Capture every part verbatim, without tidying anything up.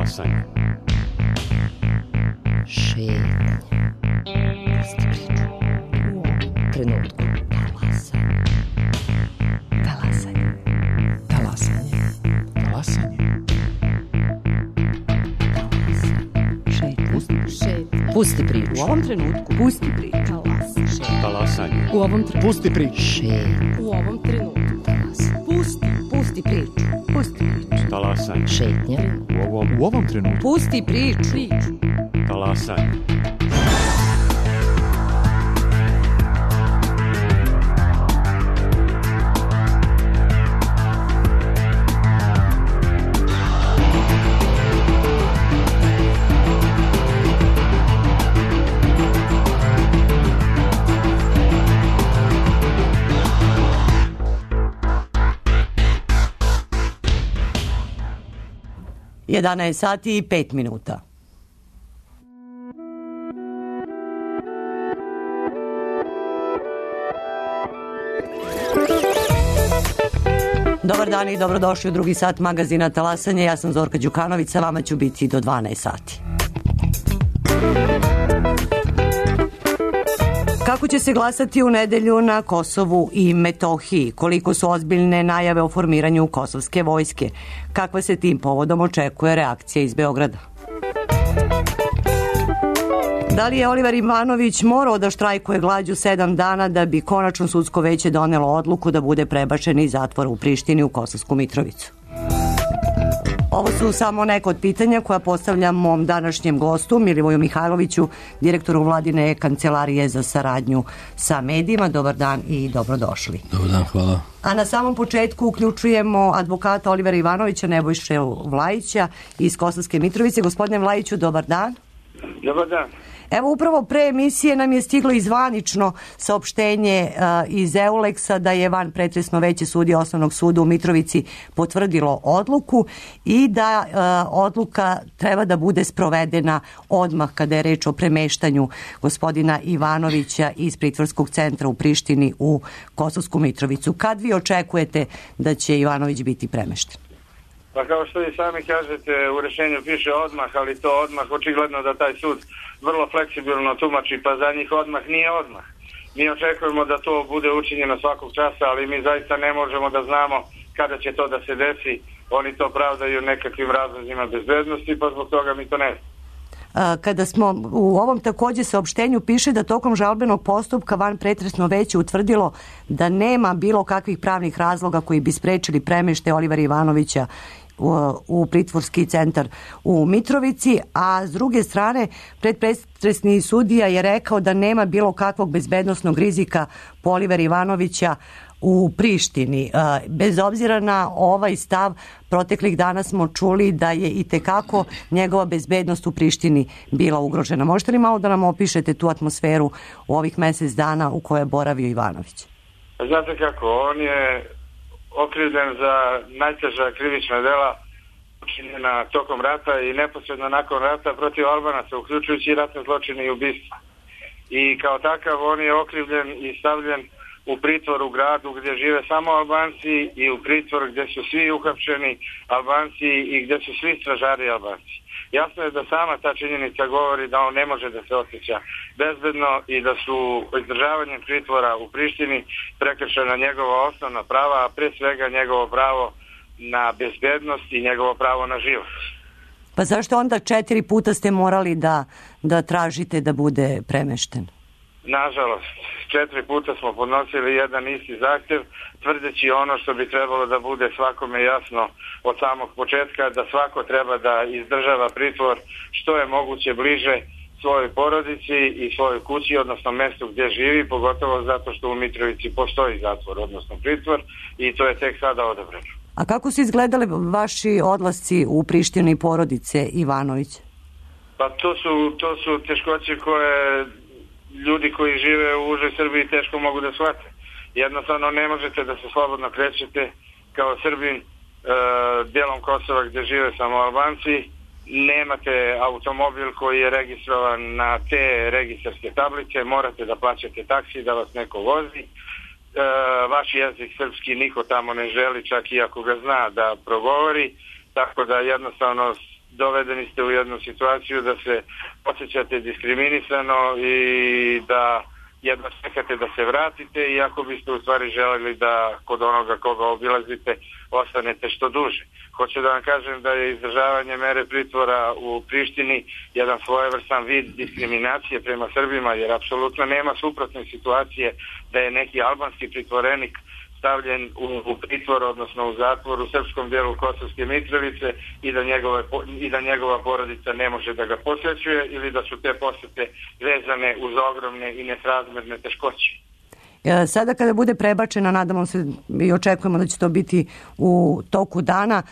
Talasanje. Šetnja. Pusti priču. U ovom trenutku. Talasanje. Talasanje. Talasanje. Šetnja. Pusti priču. U ovom trenutku. Pusti priču. Talasanje. U ovom trenutku. Pusti priču. Šetnja. U ovom trenutku. Pusti. Pusti priču. Pusti priču. Talasanje. Šetnja. U ovom, U ovom trenutku. Pusti priču. Priču. talasanje. jedanaest sati i pet minuta. Dobar dan i dobrodošli u drugi sat magazina Talasanje. Ja sam Zorka Đukanović, sa vama ću biti do dvanaest sati. Kako će se glasati u nedelju na Kosovu i Metohiji? Koliko su ozbiljne najave o formiranju kosovske vojske? Kakva se tim povodom očekuje reakcija iz Beograda? Da li je Oliver Ivanović morao da štrajkuje glađu sedam dana da bi konačno sudsko veće donelo odluku da bude prebačen iz zatvora u Prištini u Kosovsku Mitrovicu? Ovo su samo neka od pitanja koja postavljam mom današnjem gostu, Milivoju Mihajloviću, direktoru Vladine kancelarije za saradnju sa medijima. Dobar dan i dobrodošli. Dobar dan, hvala. A na samom početku uključujemo advokata Olivera Ivanovića, Nebojše Vlajića iz Kosovske Mitrovice. Gospodine Vlajiću, dobar dan. Dobar dan. Evo, upravo pre emisije nam je stiglo i zvanično saopštenje uh, iz Euleksa da je van pretresno veće sudije Osnovnog suda u Mitrovici potvrdilo odluku i da uh, odluka treba da bude sprovedena odmah kada je reč o premeštanju gospodina Ivanovića iz pritvorskog centra u Prištini u Kosovsku Mitrovicu. Kad vi očekujete da će Ivanović biti premešten? Pa kao što vi sami kažete, u rešenju piše odmah, ali to odmah očigledno da taj sud vrlo fleksibilno tumači, pa za njih odmah nije odmah. Mi očekujemo da to bude učinjeno svakog časa, ali mi zaista ne možemo da znamo kada će to da se desi. Oni to pravdaju nekakvim razlozima bezbednosti, pa zbog toga mi to ne znam. Kada smo u ovom takođe saopštenju piše da tokom žalbenog postupka van pretresno veće utvrdilo da nema bilo kakvih pravnih razloga koji bi sprečili premeštaj Olivera Ivanovića u, u pritvorski centar u Mitrovici, a s druge strane predpretresni sudija je rekao da nema bilo kakvog bezbednosnog rizika po Olivera Ivanovića u Prištini. Bez obzira na ovaj stav, proteklih dana smo čuli da je i tekako njegova bezbednost u Prištini bila ugrožena. Možete li malo da nam opišete tu atmosferu u ovih mesec dana u kojoj je boravio Ivanović? Znate kako, on je okrivljen za najteža krivična dela učinjena tokom rata i neposredno nakon rata protiv Albanaca, uključujući ratne zločine i ubistva. I kao takav on je okrivljen i stavljen u pritvor u gradu gdje žive samo Albanci i u pritvor gdje su svi uhapšeni Albanci i gdje su svi stražari Albanci. Jasno je da sama ta činjenica govori da on ne može da se osjeća bezbedno i da su izdržavanjem pritvora u Prištini prekršena njegova osnovna prava, a pre svega njegovo pravo na bezbednost i njegovo pravo na život. Pa zašto onda četiri puta ste morali da, da tražite da bude premešten? Nažalost, četiri puta smo podnosili jedan isti zahtjev, tvrdeći ono što bi trebalo da bude svakome jasno od samog početka, da svako treba da izdržava pritvor što je moguće bliže svojoj porodici i svojoj kući, odnosno mestu gdje živi, pogotovo zato što u Mitrovici postoji zatvor, odnosno pritvor, i to je tek sada odabrano. A kako su izgledali vaši odlasci u Prištini porodice Ivanović? Pa to su, to su teškoće koje ljudi koji žive u užoj Srbiji teško mogu da shvate. Jednostavno ne možete da se slobodno krećete kao Srbin e, dijelom Kosova gdje žive samo Albanci. Nemate automobil koji je registrovan na te registarske tablice, morate da plaćate taksi da vas neko vozi. E, vaš jezik srpski niko tamo ne želi, čak i ako ga zna da progovori, tako da jednostavno dovedeni ste u jednu situaciju da se osjećate diskriminisano i da jedno čekate da se vratite, iako biste u stvari želeli da kod onoga koga obilazite ostanete što duže. Hoću da vam kažem da je izdržavanje mere pritvora u Prištini jedan svojevrstan vid diskriminacije prema Srbima, jer apsolutno nema suprotne situacije da je neki albanski pritvorenik stavljen u, u pritvor, odnosno u zatvor u srpskom dijelu Kosovske Mitrovice i da, njegove, i da njegova porodica ne može da ga posjećuje ili da su te posjete vezane uz ogromne i nesrazmerne teškoće. Sada kada bude prebačena, nadamo se i očekujemo da će to biti u toku dana,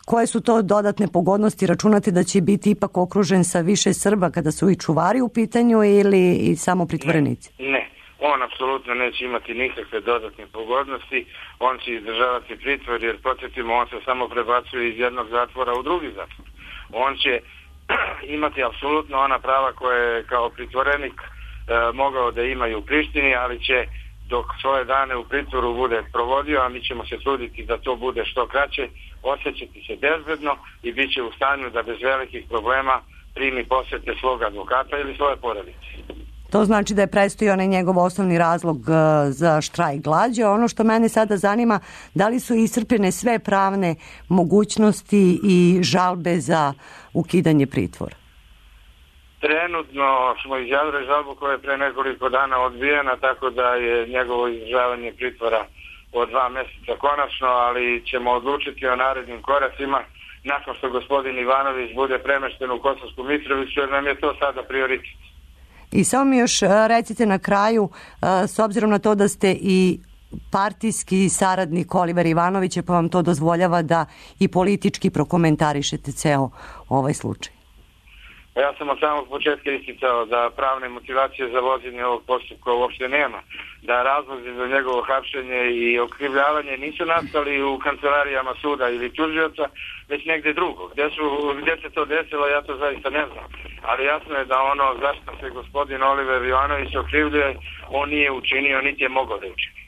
koje su to dodatne pogodnosti? Računate da će biti ipak okružen sa više Srba kada su i čuvari u pitanju ili i samo pritvorenici? Ne, ne. On apsolutno neće imati nikakve dodatne pogodnosti, on će izdržavati pritvor, jer podsjetimo, on se samo prebacuje iz jednog zatvora u drugi zatvor. On će imati apsolutno ona prava koje je kao pritvorenik e, mogao da ima i u Prištini, ali će dok svoje dane u pritvoru bude provodio, a mi ćemo se truditi da to bude što kraće, osjećati se bezbedno i bit će u stanju da bez velikih problema primi posjete svog advokata ili svoje porodice. To znači da je prestao onaj njegov osnovni razlog za štrajk glađu. Ono što mene sada zanima, da li su iscrpljene sve pravne mogućnosti i žalbe za ukidanje pritvora? Trenutno smo izjavili žalbu koja je pre nekoliko dana odbijena, tako da je njegovo izdržavanje pritvora od dva mjeseca konačno, ali ćemo odlučiti o narednim koracima nakon što gospodin Ivanović bude premešten u Kosovsku Mitrovicu, jer nam je to sada prioritet. I samo mi još recite na kraju, s obzirom na to da ste i partijski saradnik Olivera Ivanovića, pa vam to dozvoljava da i politički prokomentarišete ceo ovaj slučaj. Ja sam od samog početka isticao da pravne motivacije za vođenje ovog postupka uopšte nema, da razlozi za njegovo hapšenje i okrivljavanje nisu nastali u kancelarijama suda ili tužioca, već negde drugo. Gde, su, gde se to desilo, ja to zaista ne znam. Ali jasno je da ono zašto se gospodin Oliver Ivanović okrivljuje, on nije učinio, niti je mogao da učini.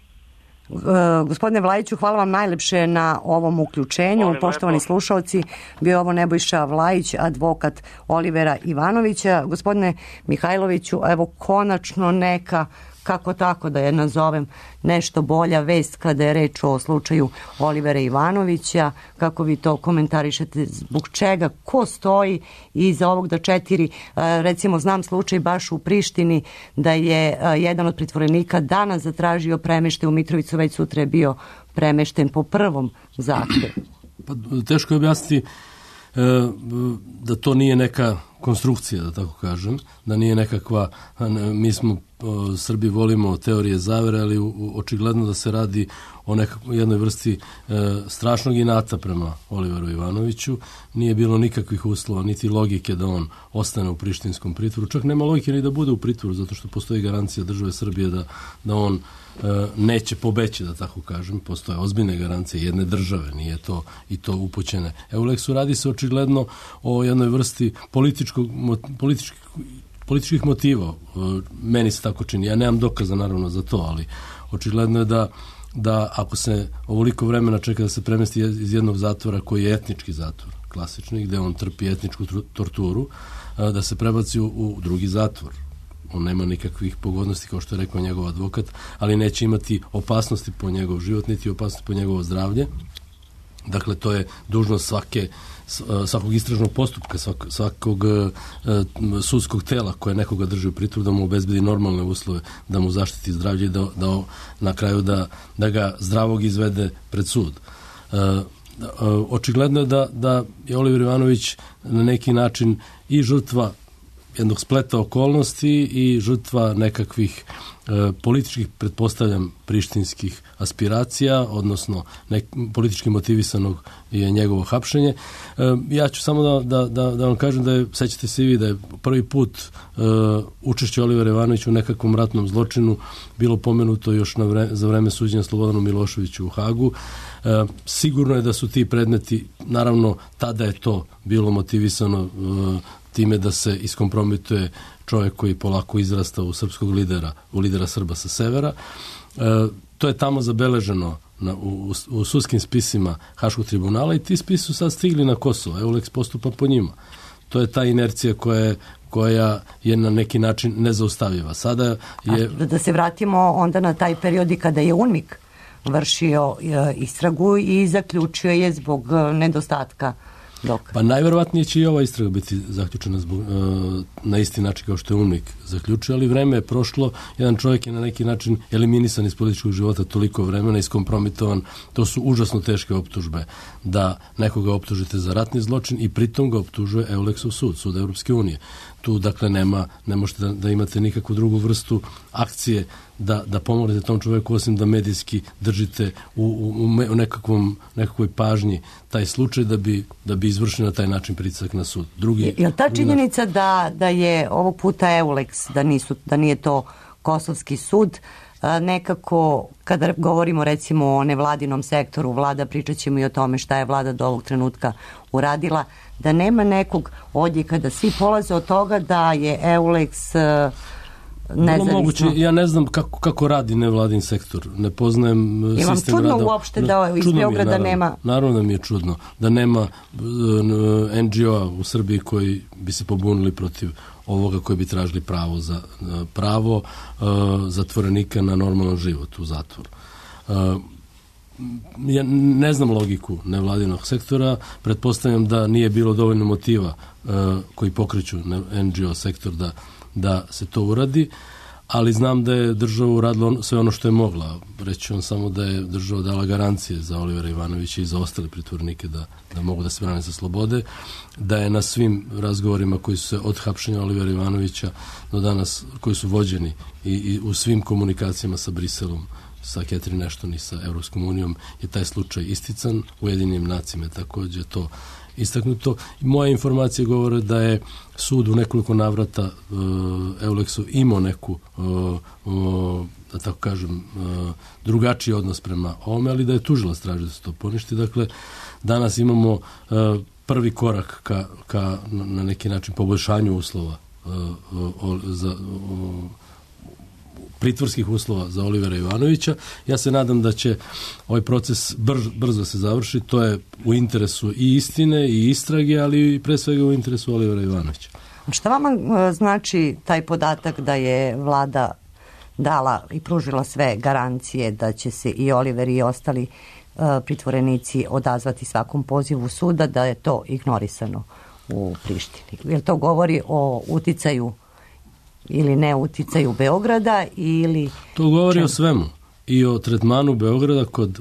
Uh, gospodine Vlajiću, hvala vam najlepše na ovom uključenju. Molim, poštovani lepo slušalci, bio ovo Nebojša Vlajić, advokat Olivera Ivanovića. Gospodine Mihajloviću, evo konačno neka, kako tako da je nazovem, nešto bolja vest kada je reč o slučaju Olivera Ivanovića. Kako vi to komentarišete, zbog čega, ko stoji iza ovog da četiri, recimo znam slučaj baš u Prištini da je jedan od pritvorenika danas zatražio premeštaj u Mitrovicu, već sutra je bio premešten po prvom zahtevu. Pa, teško je objasniti e, da to nije neka konstrukcija, da tako kažem, da nije nekakva, mi smo o, Srbi volimo teorije zavere, ali u, u, očigledno da se radi o nekakvoj jednoj vrsti e, strašnog inata prema Oliveru Ivanoviću. Nije bilo nikakvih uslova, niti logike da on ostane u prištinskom pritvoru. Čak nema logike ni da bude u pritvoru, zato što postoji garancija države Srbije da, da on e, neće pobeći, da tako kažem. Postoje ozbiljne garancije jedne države, nije to i to upućene. Euleksu radi se očigledno o jednoj vrsti političkog, političkih, političkih motiva. Meni se tako čini. Ja nemam dokaza naravno za to, ali očigledno je da da ako se ovoliko vremena čeka da se premesti iz jednog zatvora koji je etnički zatvor, klasični, gde on trpi etničku torturu, da se prebaci u, u drugi zatvor. On nema nikakvih pogodnosti, kao što je rekao njegov advokat, ali neće imati opasnosti po njegov život, niti opasnosti po njegovo zdravlje. Dakle, to je dužnost svake svakog istražnog postupka, svakog, svakog uh, sudskog tela koje nekoga drži u pritvoru, da mu obezbedi normalne uslove, da mu zaštiti zdravlje i da, da na kraju da, da ga zdravog izvede pred sud. Uh, uh, očigledno je da, da je Oliver Ivanović na neki način i žrtva jednog spleta okolnosti i žrtva nekakvih e, političkih, pretpostavljam, prištinskih aspiracija, odnosno nek, politički motivisanog je njegovo hapšenje. E, ja ću samo da, da, da, da vam kažem da je, sećate se i vi, da je prvi put e, učešće Olivera Ivanovića u nekakvom ratnom zločinu bilo pomenuto još na vre, za vreme suđenja Slobodanu Miloševiću u Hagu. E, sigurno je da su ti predmeti, naravno, tada je to bilo motivisano e, time da se iskompromituje čovjek koji polako izrasta u srpskog lidera, u lidera Srba sa severa. E, to je tamo zabeleženo na, u, u sudskim spisima Haškog tribunala i ti spisi su sad stigli na Kosovo. Euleks postupa po njima. To je ta inercija koja je, koja je na neki način nezaustavljiva. Sada je... A da se vratimo onda na taj period i kada je UNMIK vršio e, istragu i zaključio je zbog e, nedostatka dokaza. Pa najverovatnije će i ova istraga biti zaključena zbog, e, na isti način kao što je UNMIK zaključio, ali vreme je prošlo, jedan čovjek je na neki način eliminisan iz političkog života toliko vremena, iskompromitovan, to su užasno teške optužbe, da nekoga optužite za ratni zločin i pritom ga optužuje Euleksov sud, sud Evropske unije. Tu, dakle, nema, ne možete da, da imate nikakvu drugu vrstu akcije da, da pomognete tom čovjeku, osim da medijski držite u, u, u nekakvom, nekakvoj pažnji taj slučaj da bi, da bi izvršili na taj način pritisak na sud. Drugi, je, je li ta činjenica da, da je ovog puta Euleks, da, nisu, da nije to kosovski sud, nekako, kada govorimo recimo o nevladinom sektoru, vlada, pričat ćemo i o tome šta je vlada do ovog trenutka uradila, da nema nekog odjeka, da svi polaze od toga da je Euleks nezavisno. Moguće, ja ne znam kako, kako radi nevladin sektor, ne poznajem sistem rada. Je vam čudno uopšte da iz Beograda naravno, nema... Naravno da mi je čudno da nema en dži o-a u Srbiji koji bi se pobunili protiv ovoga koji bi tražili pravo za pravo uh, zatvorenika na normalan život u zatvoru. Uh, ja ne znam logiku nevladinog sektora, pretpostavljam da nije bilo dovoljno motiva uh, koji pokreću en dži o sektor da, da se to uradi, ali znam da je država uradila sve ono što je mogla. Reći vam samo da je država dala garancije za Olivera Ivanovića i za ostale pritvornike da, da mogu da se brane sa slobode, da je na svim razgovorima koji su se od hapšenja Olivera Ivanovića do danas, koji su vođeni i, i u svim komunikacijama sa Briselom, sa Catherine Ashton i sa Evropskom unijom je taj slučaj istican, u Ujedinjenim nacijama je također to istaknuto. Moje informacije govore da je sud u nekoliko navrata uh, Euleksov imao neku uh, uh, da tako kažem uh, drugačiji odnos prema ovome, ali da je tužilac traži da se to poništi. Dakle, danas imamo uh, prvi korak ka, ka na neki način poboljšanju uslova uh, uh, za uh, pritvorskih uslova za Olivera Ivanovića. Ja se nadam da će ovaj proces brz, brzo se završi. To je u interesu i istine i istrage, ali i pre svega u interesu Olivera Ivanovića. Šta vama znači taj podatak da je vlada dala i pružila sve garancije da će se i Oliver i ostali uh, pritvorenici odazvati svakom pozivu suda, da je to ignorisano u Prištini? Jer to govori o uticaju ili ne uticaju Beograda ili... To govori čem? o svemu. I o tretmanu Beograda kod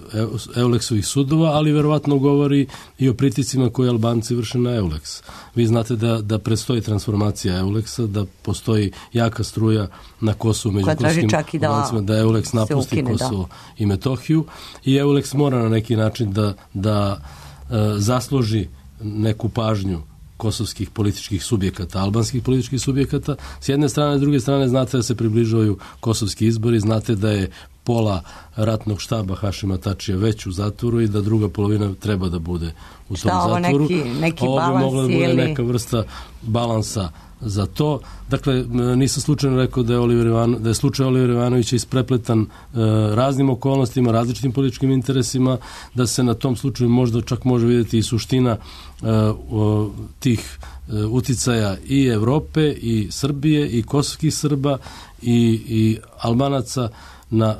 Euleksovih sudova, ali verovatno govori i o priticima koje Albanci vrše na Euleks. Vi znate da, da predstoji transformacija Euleksa, da postoji jaka struja na Kosovu među kosovskim Albancima, da, da Euleks napusti ukine, Kosovo da. i Metohiju i Euleks mora na neki način da, da e, zasluži neku pažnju kosovskih političkih subjekata, albanskih političkih subjekata. S jedne strane, s druge strane, znate da se približavaju kosovski izbori, znate da je pola ratnog štaba Hašima Tačija već u zatvoru i da druga polovina treba da bude u Šta, tom zatvoru. Neki, neki ovo bi mogla da bude ili... neka vrsta balansa za to. Dakle, nisam slučajno rekao da je, Oliver Ivano, da je slučaj Olivera Ivanovića isprepletan e, raznim okolnostima, različitim političkim interesima, da se na tom slučaju možda čak može vidjeti i suština e, o, tih e, uticaja i Evrope, i Srbije, i kosovskih Srba, i, i Albanaca na,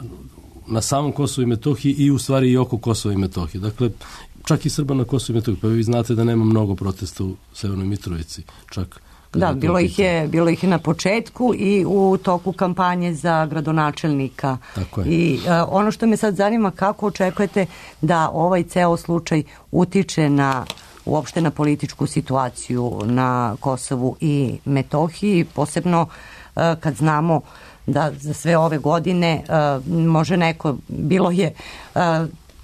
na samom Kosovu i Metohiji i u stvari i oko Kosova i Metohije. Dakle, čak i Srba na Kosovu i Metohiji. Pa vi znate da nema mnogo protesta u Severnoj Mitrovici, čak. Da, bilo ih, je, bilo ih je na početku i u toku kampanje za gradonačelnika. Tako je. I uh, ono što me sad zanima, kako očekujete da ovaj ceo slučaj utiče na uopšte na političku situaciju na Kosovu i Metohiji, posebno uh, kad znamo da za sve ove godine uh, može neko, bilo je uh,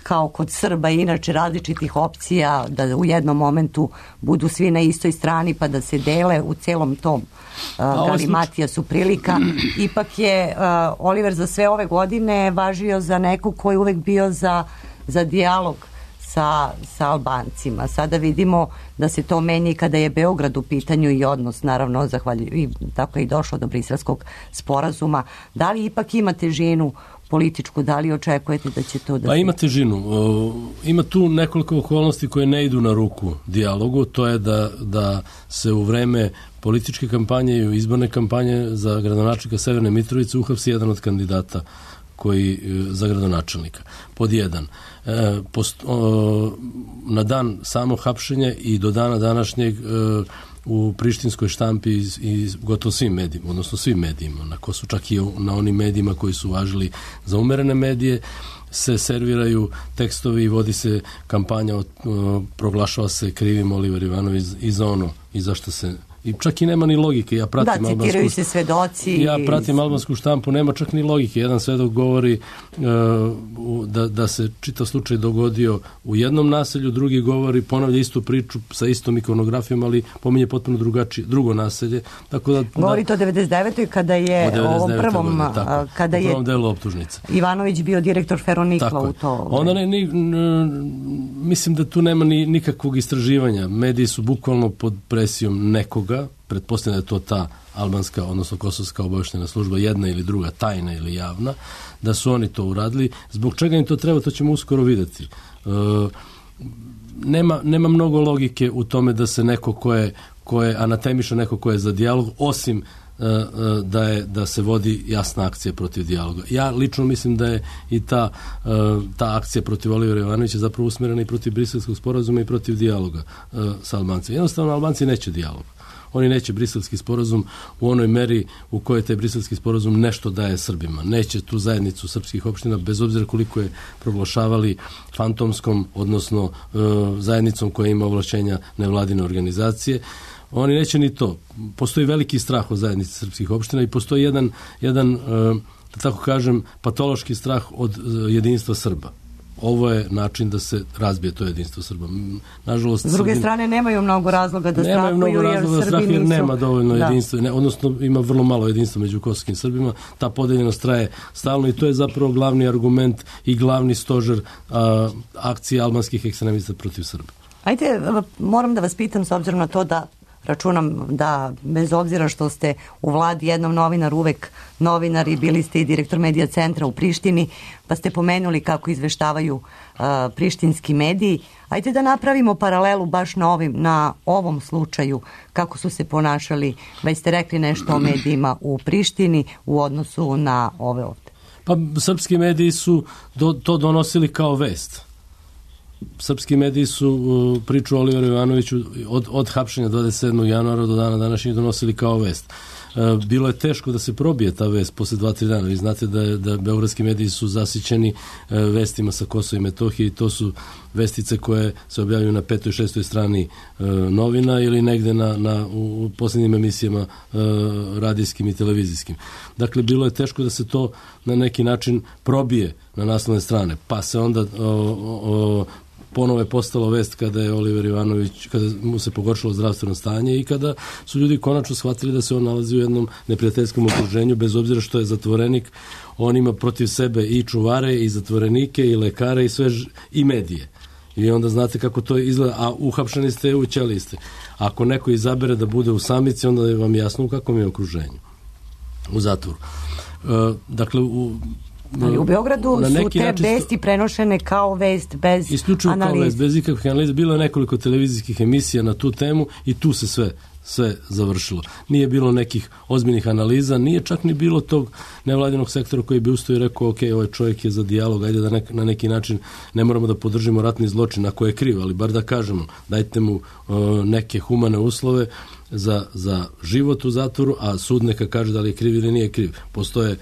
kao kod Srba i inače različitih opcija da u jednom momentu budu svi na istoj strani pa da se dele u celom tom uh, galimatija su prilika. Ipak je uh, Oliver za sve ove godine važio za nekog koji je uvek bio za, za dijalog sa, sa Albancima. Sada vidimo da se to menja i kada je Beograd u pitanju i odnos, naravno, zahvaljujući, i tako je i došlo do Briselskog sporazuma. Da li ipak ima težinu političku, da li očekujete da će to da... Pa ima težinu. Ima tu nekoliko okolnosti koje ne idu na ruku dijalogu, to je da, da se u vreme političke kampanje i izborne kampanje za gradonačelnika Severne Mitrovice uhapsi jedan od kandidata koji za gradonačelnika. Pod jedan. E, post, o, na dan samo hapšenja i do dana današnjeg e, u prištinskoj štampi i, i gotovo svim medijima, odnosno svim medijima, na ko su čak i na onim medijima koji su važili za umerene medije, se serviraju tekstovi i vodi se kampanja, o, o, proglašava se krivim Oliver Ivanović i za ono i zašto se... I čak i nema ni logike. Ja pratim da, citiraju albansku, se svedoci. Ja pratim albansku štampu, nema čak ni logike. Jedan svedok govori uh, da, da se čitav slučaj dogodio u jednom naselju, drugi govori, ponavlja istu priču sa istom ikonografijom, ali pominje potpuno drugačije, drugo naselje. Tako da, govori to o devedeset devetoj kada je u ovom prvom, godine, tako, kada u prvom je delu optužnice. Ivanović bio direktor Feronikla u to. Onda ne, ni, n, mislim da tu nema ni nikakvog istraživanja. Mediji su bukvalno pod presijom nekog, pretpostavljam da je to ta albanska, odnosno kosovska obavještajna služba, jedna ili druga, tajna ili javna, da su oni to uradili. Zbog čega im to treba, to ćemo uskoro vidjeti. E, nema, nema mnogo logike u tome da se neko ko je, ko je anatemiša, neko ko je za dijalog, osim da je da se vodi jasna akcija protiv dijaloga. Ja lično mislim da je i ta, ta akcija protiv Olivera Ivanovića zapravo usmjerena i protiv Briselskog sporazuma i protiv dijaloga sa Albancima. Jednostavno, Albanci neće dijalog. Oni neće briselski sporazum u onoj meri u kojoj taj briselski sporazum nešto daje Srbima. Neće tu zajednicu srpskih opština, bez obzira koliko je proglašavali fantomskom, odnosno zajednicom koja ima ovlašćenja nevladine organizacije. Oni neće ni to. Postoji veliki strah od zajednice srpskih opština i postoji jedan, jedan da tako kažem, patološki strah od jedinstva Srba. Ovo je način da se razbije to jedinstvo Srba. Nažalost, s druge Srbin, strane nemaju mnogo razloga da strahuju, mnogo razloga jer da strahuju, jer nisu... nema dovoljno da. jedinstva, ne, odnosno ima vrlo malo jedinstva među kosovskim Srbima. Ta podeljenost traje stalno i to je zapravo glavni argument i glavni stožer a, akcije albanskih ekstremista protiv Srba. Ajde, moram da vas pitam, s obzirom na to da računam da bez obzira što ste u vladi jednom novinar, uvek novinar i bili ste i direktor medija centra u Prištini, pa ste pomenuli kako izveštavaju uh, prištinski mediji. Ajde da napravimo paralelu baš na, ovim, na ovom slučaju, kako su se ponašali, već ste rekli nešto o medijima u Prištini u odnosu na ove ovde. Pa srpski mediji su do, to donosili kao vest. Srpski mediji su uh, priču o Oliveru Ivanoviću od, od hapšenja dvadeset sedmog januara do dana današnjeg donosili kao vest. Uh, bilo je teško da se probije ta vest posle dva tri dana. Vi znate da, je, da beogradski mediji su zasićeni uh, vestima sa Kosova i Metohije i to su vestice koje se objavljuju na petoj, šestoj strani uh, novina ili negde na, na, u, u posljednjim emisijama uh, radijskim i televizijskim. Dakle, bilo je teško da se to na neki način probije na naslovne strane. Pa se onda o, o, ponovo je postalo vest kada je Oliver Ivanović, kada mu se pogoršalo zdravstveno stanje i kada su ljudi konačno shvatili da se on nalazi u jednom neprijateljskom okruženju, bez obzira što je zatvorenik, on ima protiv sebe i čuvare, i zatvorenike, i lekare, i sve, i medije. I onda znate kako to izgleda, a uhapšeni ste, u ćeliji ste. Ako neko izabere da bude u samici, onda je vam jasno u kakvom je okruženju. U zatvoru. E, dakle, u ali u Beogradu su te vesti prenošene kao vest bez isključivo analize. Kao vest, bez ikakvih analiza. Bilo je nekoliko televizijskih emisija na tu temu i tu se sve, sve završilo. Nije bilo nekih ozbiljnih analiza, nije čak ni bilo tog nevladinog sektora koji bi ustao i rekao, ok, ovaj čovjek je za dijalog, ajde da nek, na neki način ne moramo da podržimo ratni zločin ako je kriv, ali bar da kažemo, dajte mu uh, neke humane uslove za, za život u zatvoru, a sud neka kaže da li je kriv ili nije kriv. Postoje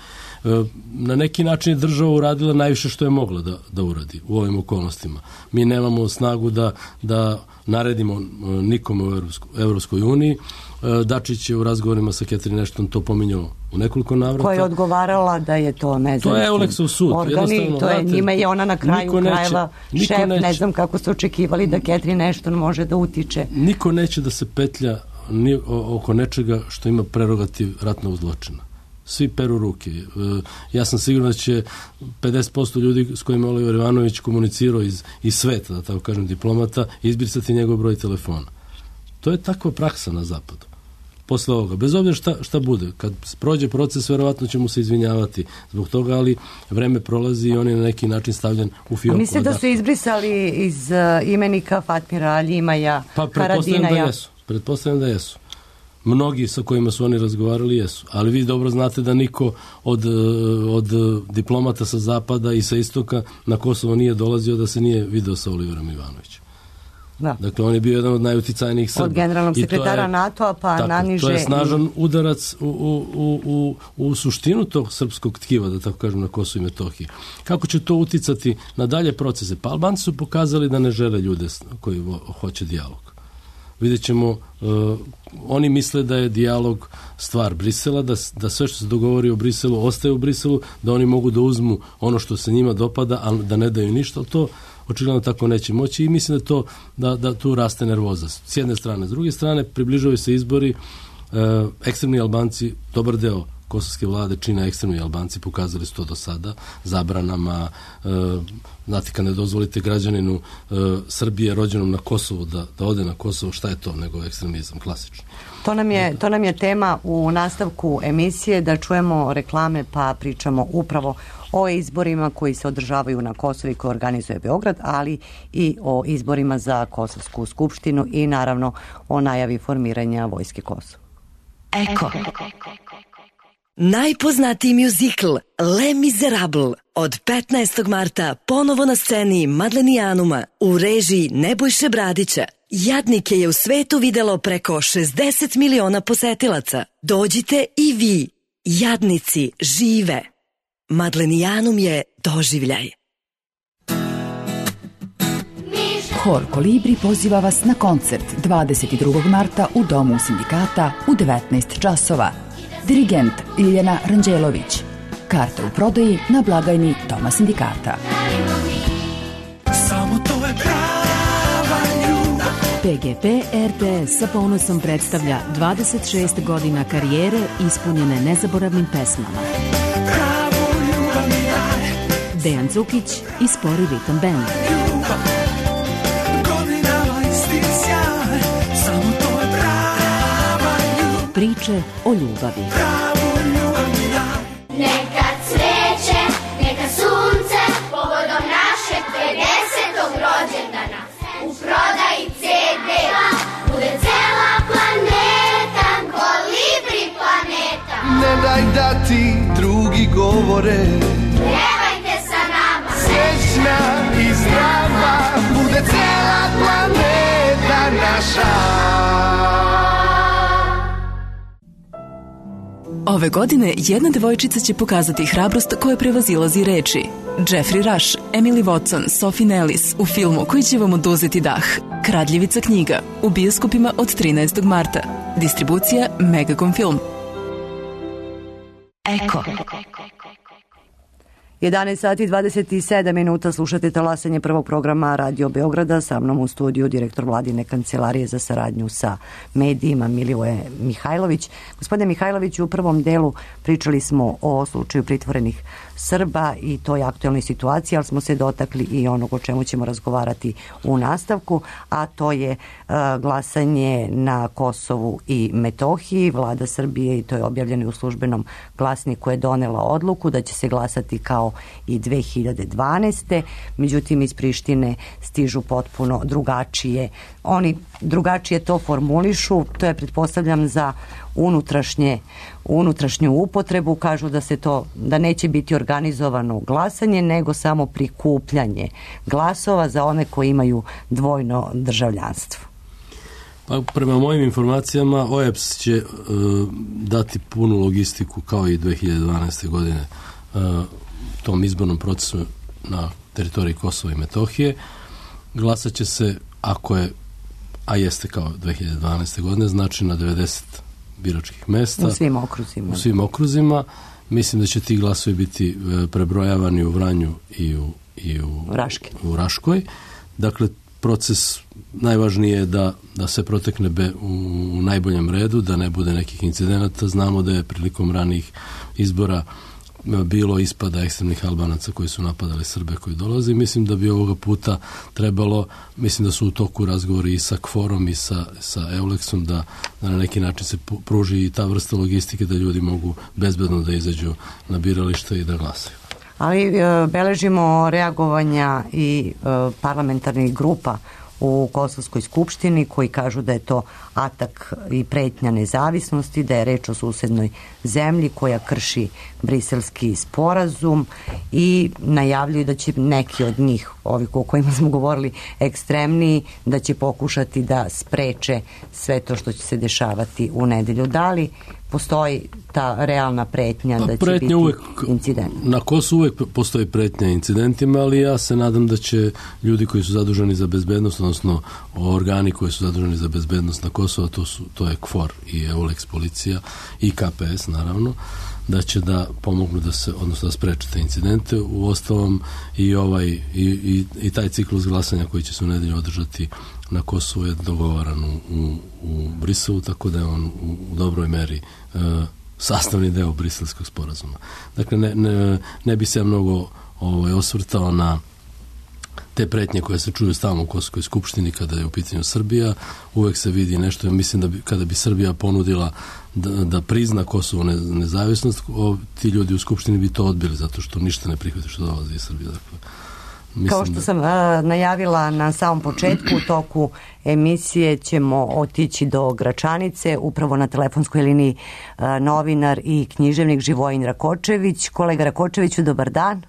na neki način je država uradila najviše što je mogla da, da uradi u ovim okolnostima. Mi nemamo snagu da, da naredimo nikome u Evropskoj uniji. Dačić je u razgovorima sa Catherine Ashton to pominjao u nekoliko navrata. Koja je odgovarala da je to nezavisno. To je Euleksov sud. Organi, to je njima je ona na kraju krajeva šef, neće, ne znam kako su očekivali da Catherine Ashton može da utiče. Niko neće da se petlja ni oko nečega što ima prerogativ ratnog zločina. Svi peru ruke. Ja sam siguran da će pedeset posto ljudi s kojima Oliver Ivanović komunicirao iz, iz sveta, da tako kažem, diplomata, izbrisati njegov broj telefona. To je takva praksa na zapadu. posle ovoga. Bez obzira šta, šta bude. Kad prođe proces, verovatno ćemo se izvinjavati zbog toga, ali vreme prolazi i on je na neki način stavljen u fioku. Mislim da su izbrisali iz uh, imenika Fatmira Ljimaja, pa, pretpostavljam Haradinaja. da jesu. Pretpostavljam da jesu. Mnogi sa kojima su oni razgovarali jesu. Ali vi dobro znate da niko od, od diplomata sa zapada i sa istoka na Kosovo nije dolazio da se nije video sa Oliverom Ivanovićem. Da. Dakle, on je bio jedan od najuticajnijih Srba. Od generalnog sekretara je, NATO-a pa tako, naniže. To je snažan udarac u, u, u, u, u suštinu tog srpskog tkiva, da tako kažem, na Kosovu i Metohiji. Kako će to uticati na dalje procese? Pa Albanci su pokazali da ne žele ljude koji hoće dijalog. Vidjet ćemo, uh, oni misle da je dijalog stvar Brisela, da, da sve što se dogovori o Briselu ostaje u Briselu, da oni mogu da uzmu ono što se njima dopada, a da ne daju ništa, ali to očigledno tako neće moći i mislim da, to, da, da tu raste nervoza. S jedne strane. S druge strane, približavaju se izbori, uh, ekstremni Albanci, dobar deo kosovske vlade čine ekstremni Albanci, pokazali su to do sada, zabranama, e, znate, kad ne dozvolite građaninu e, Srbije rođenom na Kosovu da, da ode na Kosovo, šta je to nego ekstremizam, klasični. To nam je, to nam je tema u nastavku emisije, da čujemo reklame pa pričamo upravo o izborima koji se održavaju na Kosovu i koje organizuje Beograd, ali i o izborima za Kosovsku skupštinu i naravno o najavi formiranja Vojske Kosova. Eko. Najpoznatiji mjuzikl Les Miserables od petnaestog marta ponovo na sceni Madlenijanuma u režiji Nebojše Bradića. Jadnike je u svetu videlo preko šezdeset miliona posetilaca. Dođite i vi. Jadnici žive. Madlenijanum je doživljaj. Hor Kolibri poziva vas na koncert dvadeset drugog marta u Domu sindikata u devetnaest časova. Dirigent Ljiljana Ranđelović. Karte u prodaji na blagajni Doma sindikata. Samo to je prava ljubav. P G P R T S sa ponosom predstavlja dvadeset šest godina karijere ispunjene nezaboravnim pesmama. Pravu ljubav mi daj. Dejan Cukić i Spori Ritam Band. Ljubav, godinama isti sjaj. Samo to je prava ljubav. Priče o ljubavi. Pravu ljubav mi daj. Neka cveće, neka sunce, povodom našeg pedesetog rođendana. U prodaji ce de bude cela planeta, Kolibri planeta. Ne daj da ti drugi govore, Pevajte sa nama, srećna i zdrava, bude cela planeta naša. Ove godine jedna devojčica će pokazati hrabrost koja prevazilazi reči. Jeffrey Rush, Emily Watson, Sophie Nellis u filmu koji će vam oduzeti dah. Kradljivica knjiga u bioskopima od trinaestog marta. Distribucija Megacom Film. Eko. jedanaest sati i dvadeset sedam minuta, slušate talasanje prvog programa Radio Beograda. Sa mnom u studiju direktor Vladine kancelarije za saradnju sa medijima Milivoje Mihajlović. Gospodine Mihajlović, u prvom delu pričali smo o slučaju pritvorenih Srba i toj aktualnoj situaciji, ali smo se dotakli i onog o čemu ćemo razgovarati u nastavku, a to je uh, glasanje na Kosovu i Metohiji. Vlada Srbije, i to je objavljeno u službenom glasniku, je donela odluku da će se glasati kao i dve hiljade dvanaeste. Međutim, iz Prištine stižu potpuno drugačije. Oni drugačije to formulišu, to je, pretpostavljam, za unutrašnje, unutrašnju upotrebu. Kažu da se to, da neće biti organizovano glasanje, nego samo prikupljanje glasova za one koji imaju dvojno državljanstvo. Pa, prema mojim informacijama, O E B S će uh, dati punu logistiku kao i dve hiljade dvanaeste godine uh, tom izbornom procesu na teritoriji Kosova i Metohije. Glasat će se, ako je, a jeste kao dve hiljade dvanaeste godine, znači na devedeset biračkih mesta. U svim okruzima. U svim okruzima. Mislim da će ti glasovi biti prebrojavani u Vranju i u, i u, Raške. u Raškoj. Dakle, proces najvažnije je da, da se protekne be, u, u najboljem redu, da ne bude nekih incidenata. Znamo da je prilikom ranijih izbora bilo ispada ekstremnih Albanaca koji su napadali Srbe koji dolaze. Mislim da bi ovoga puta trebalo, mislim da su u toku razgovori i sa KFOR-om i sa, sa Eulexom da, da na neki način se pruži i ta vrsta logistike da ljudi mogu bezbedno da izađu na birališta i da glasaju. Ali e, beležimo reagovanja i e, parlamentarnih grupa u Kosovskoj skupštini koji kažu da je to atak i pretnja nezavisnosti, da je reč o susednoj zemlji koja krši briselski sporazum i najavljuju da će neki od njih, ovi o kojima smo govorili, ekstremniji, da će pokušati da spreče sve to što će se dešavati u nedelju. Da li postoji ta realna pretnja pa, da će pretnja biti uvek, incident? Na Kosovu uvek postoji pretnja incidentima, ali ja se nadam da će ljudi koji su zaduženi za bezbednost, odnosno organi koji su zaduženi za bezbednost na Kosovu, to, su, to je KFOR i Eulex policija i K P S naravno, da će da pomognu da se, odnosno da spreče te incidente. U ostalom i ovaj i, i, i taj ciklus glasanja koji će se u nedelju održati na Kosovu je dogovaran u, u, u Briselu, tako da je on u, u dobroj meri e, sastavni deo briselskog sporazuma. Dakle, ne, ne, ne bi se mnogo ovaj, osvrtao na te pretnje koje se čuju stalno u Kosovskoj skupštini kada je u pitanju Srbija. Uvek se vidi nešto, ja mislim da bi, kada bi Srbija ponudila da, da prizna Kosovo ne, nezavisnost, o, ti ljudi u skupštini bi to odbili, zato što ništa ne prihvati što dolazi iz Srbije. Dakle, kao što sam a, najavila na samom početku, u toku emisije ćemo otići do Gračanice, upravo na telefonskoj liniji a, novinar i književnik Živojin Rakočević. Kolega Rakočeviću, dobar dan.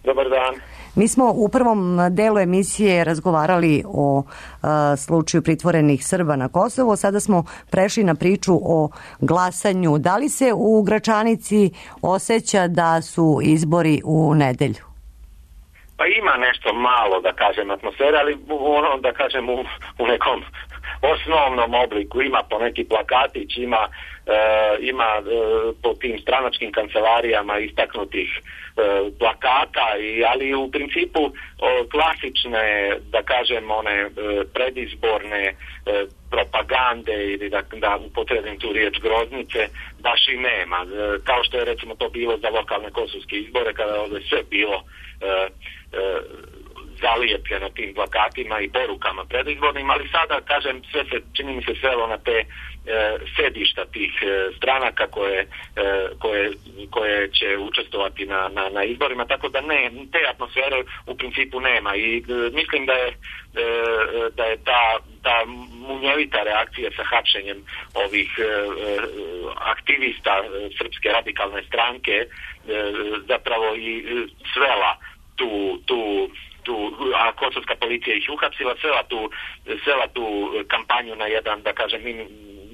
Dobar dan. Mi smo u prvom delu emisije razgovarali o a, slučaju pritvorenih Srba na Kosovo, sada smo prešli na priču o glasanju. Da li se u Gračanici osjeća da su izbori u nedelju? Pa ima nešto malo, da kažem, atmosfera, ali ono, da kažem, u, u nekom osnovnom obliku. Ima po neki plakatić, ima, e, ima e, po tim stranačkim kancelarijama istaknutih e, plakata, i, ali u principu o, klasične, da kažem, one e, predizborne e, propagande ili da, da upotrebim tu riječ groznice, baš i nema. E, kao što je recimo to bilo za lokalne kosovske izbore, kada je sve bilo e, zalijepljeno tim plakatima i porukama predizbornim, ali sada, kažem, sve se, čini mi se, svelo na te e, sedišta tih e, stranaka koje, e, koje, koje će učestvovati na, na, na izborima, tako da ne, te atmosfere u principu nema i e, mislim da je, e, da je ta, ta munjevita reakcija sa hapšenjem ovih e, aktivista e, Srpske radikalne stranke e, zapravo i e, svela tu, tu, tu, a kosovska policija ih uhapsila, svela tu, svela tu kampanju na jedan, da kažem,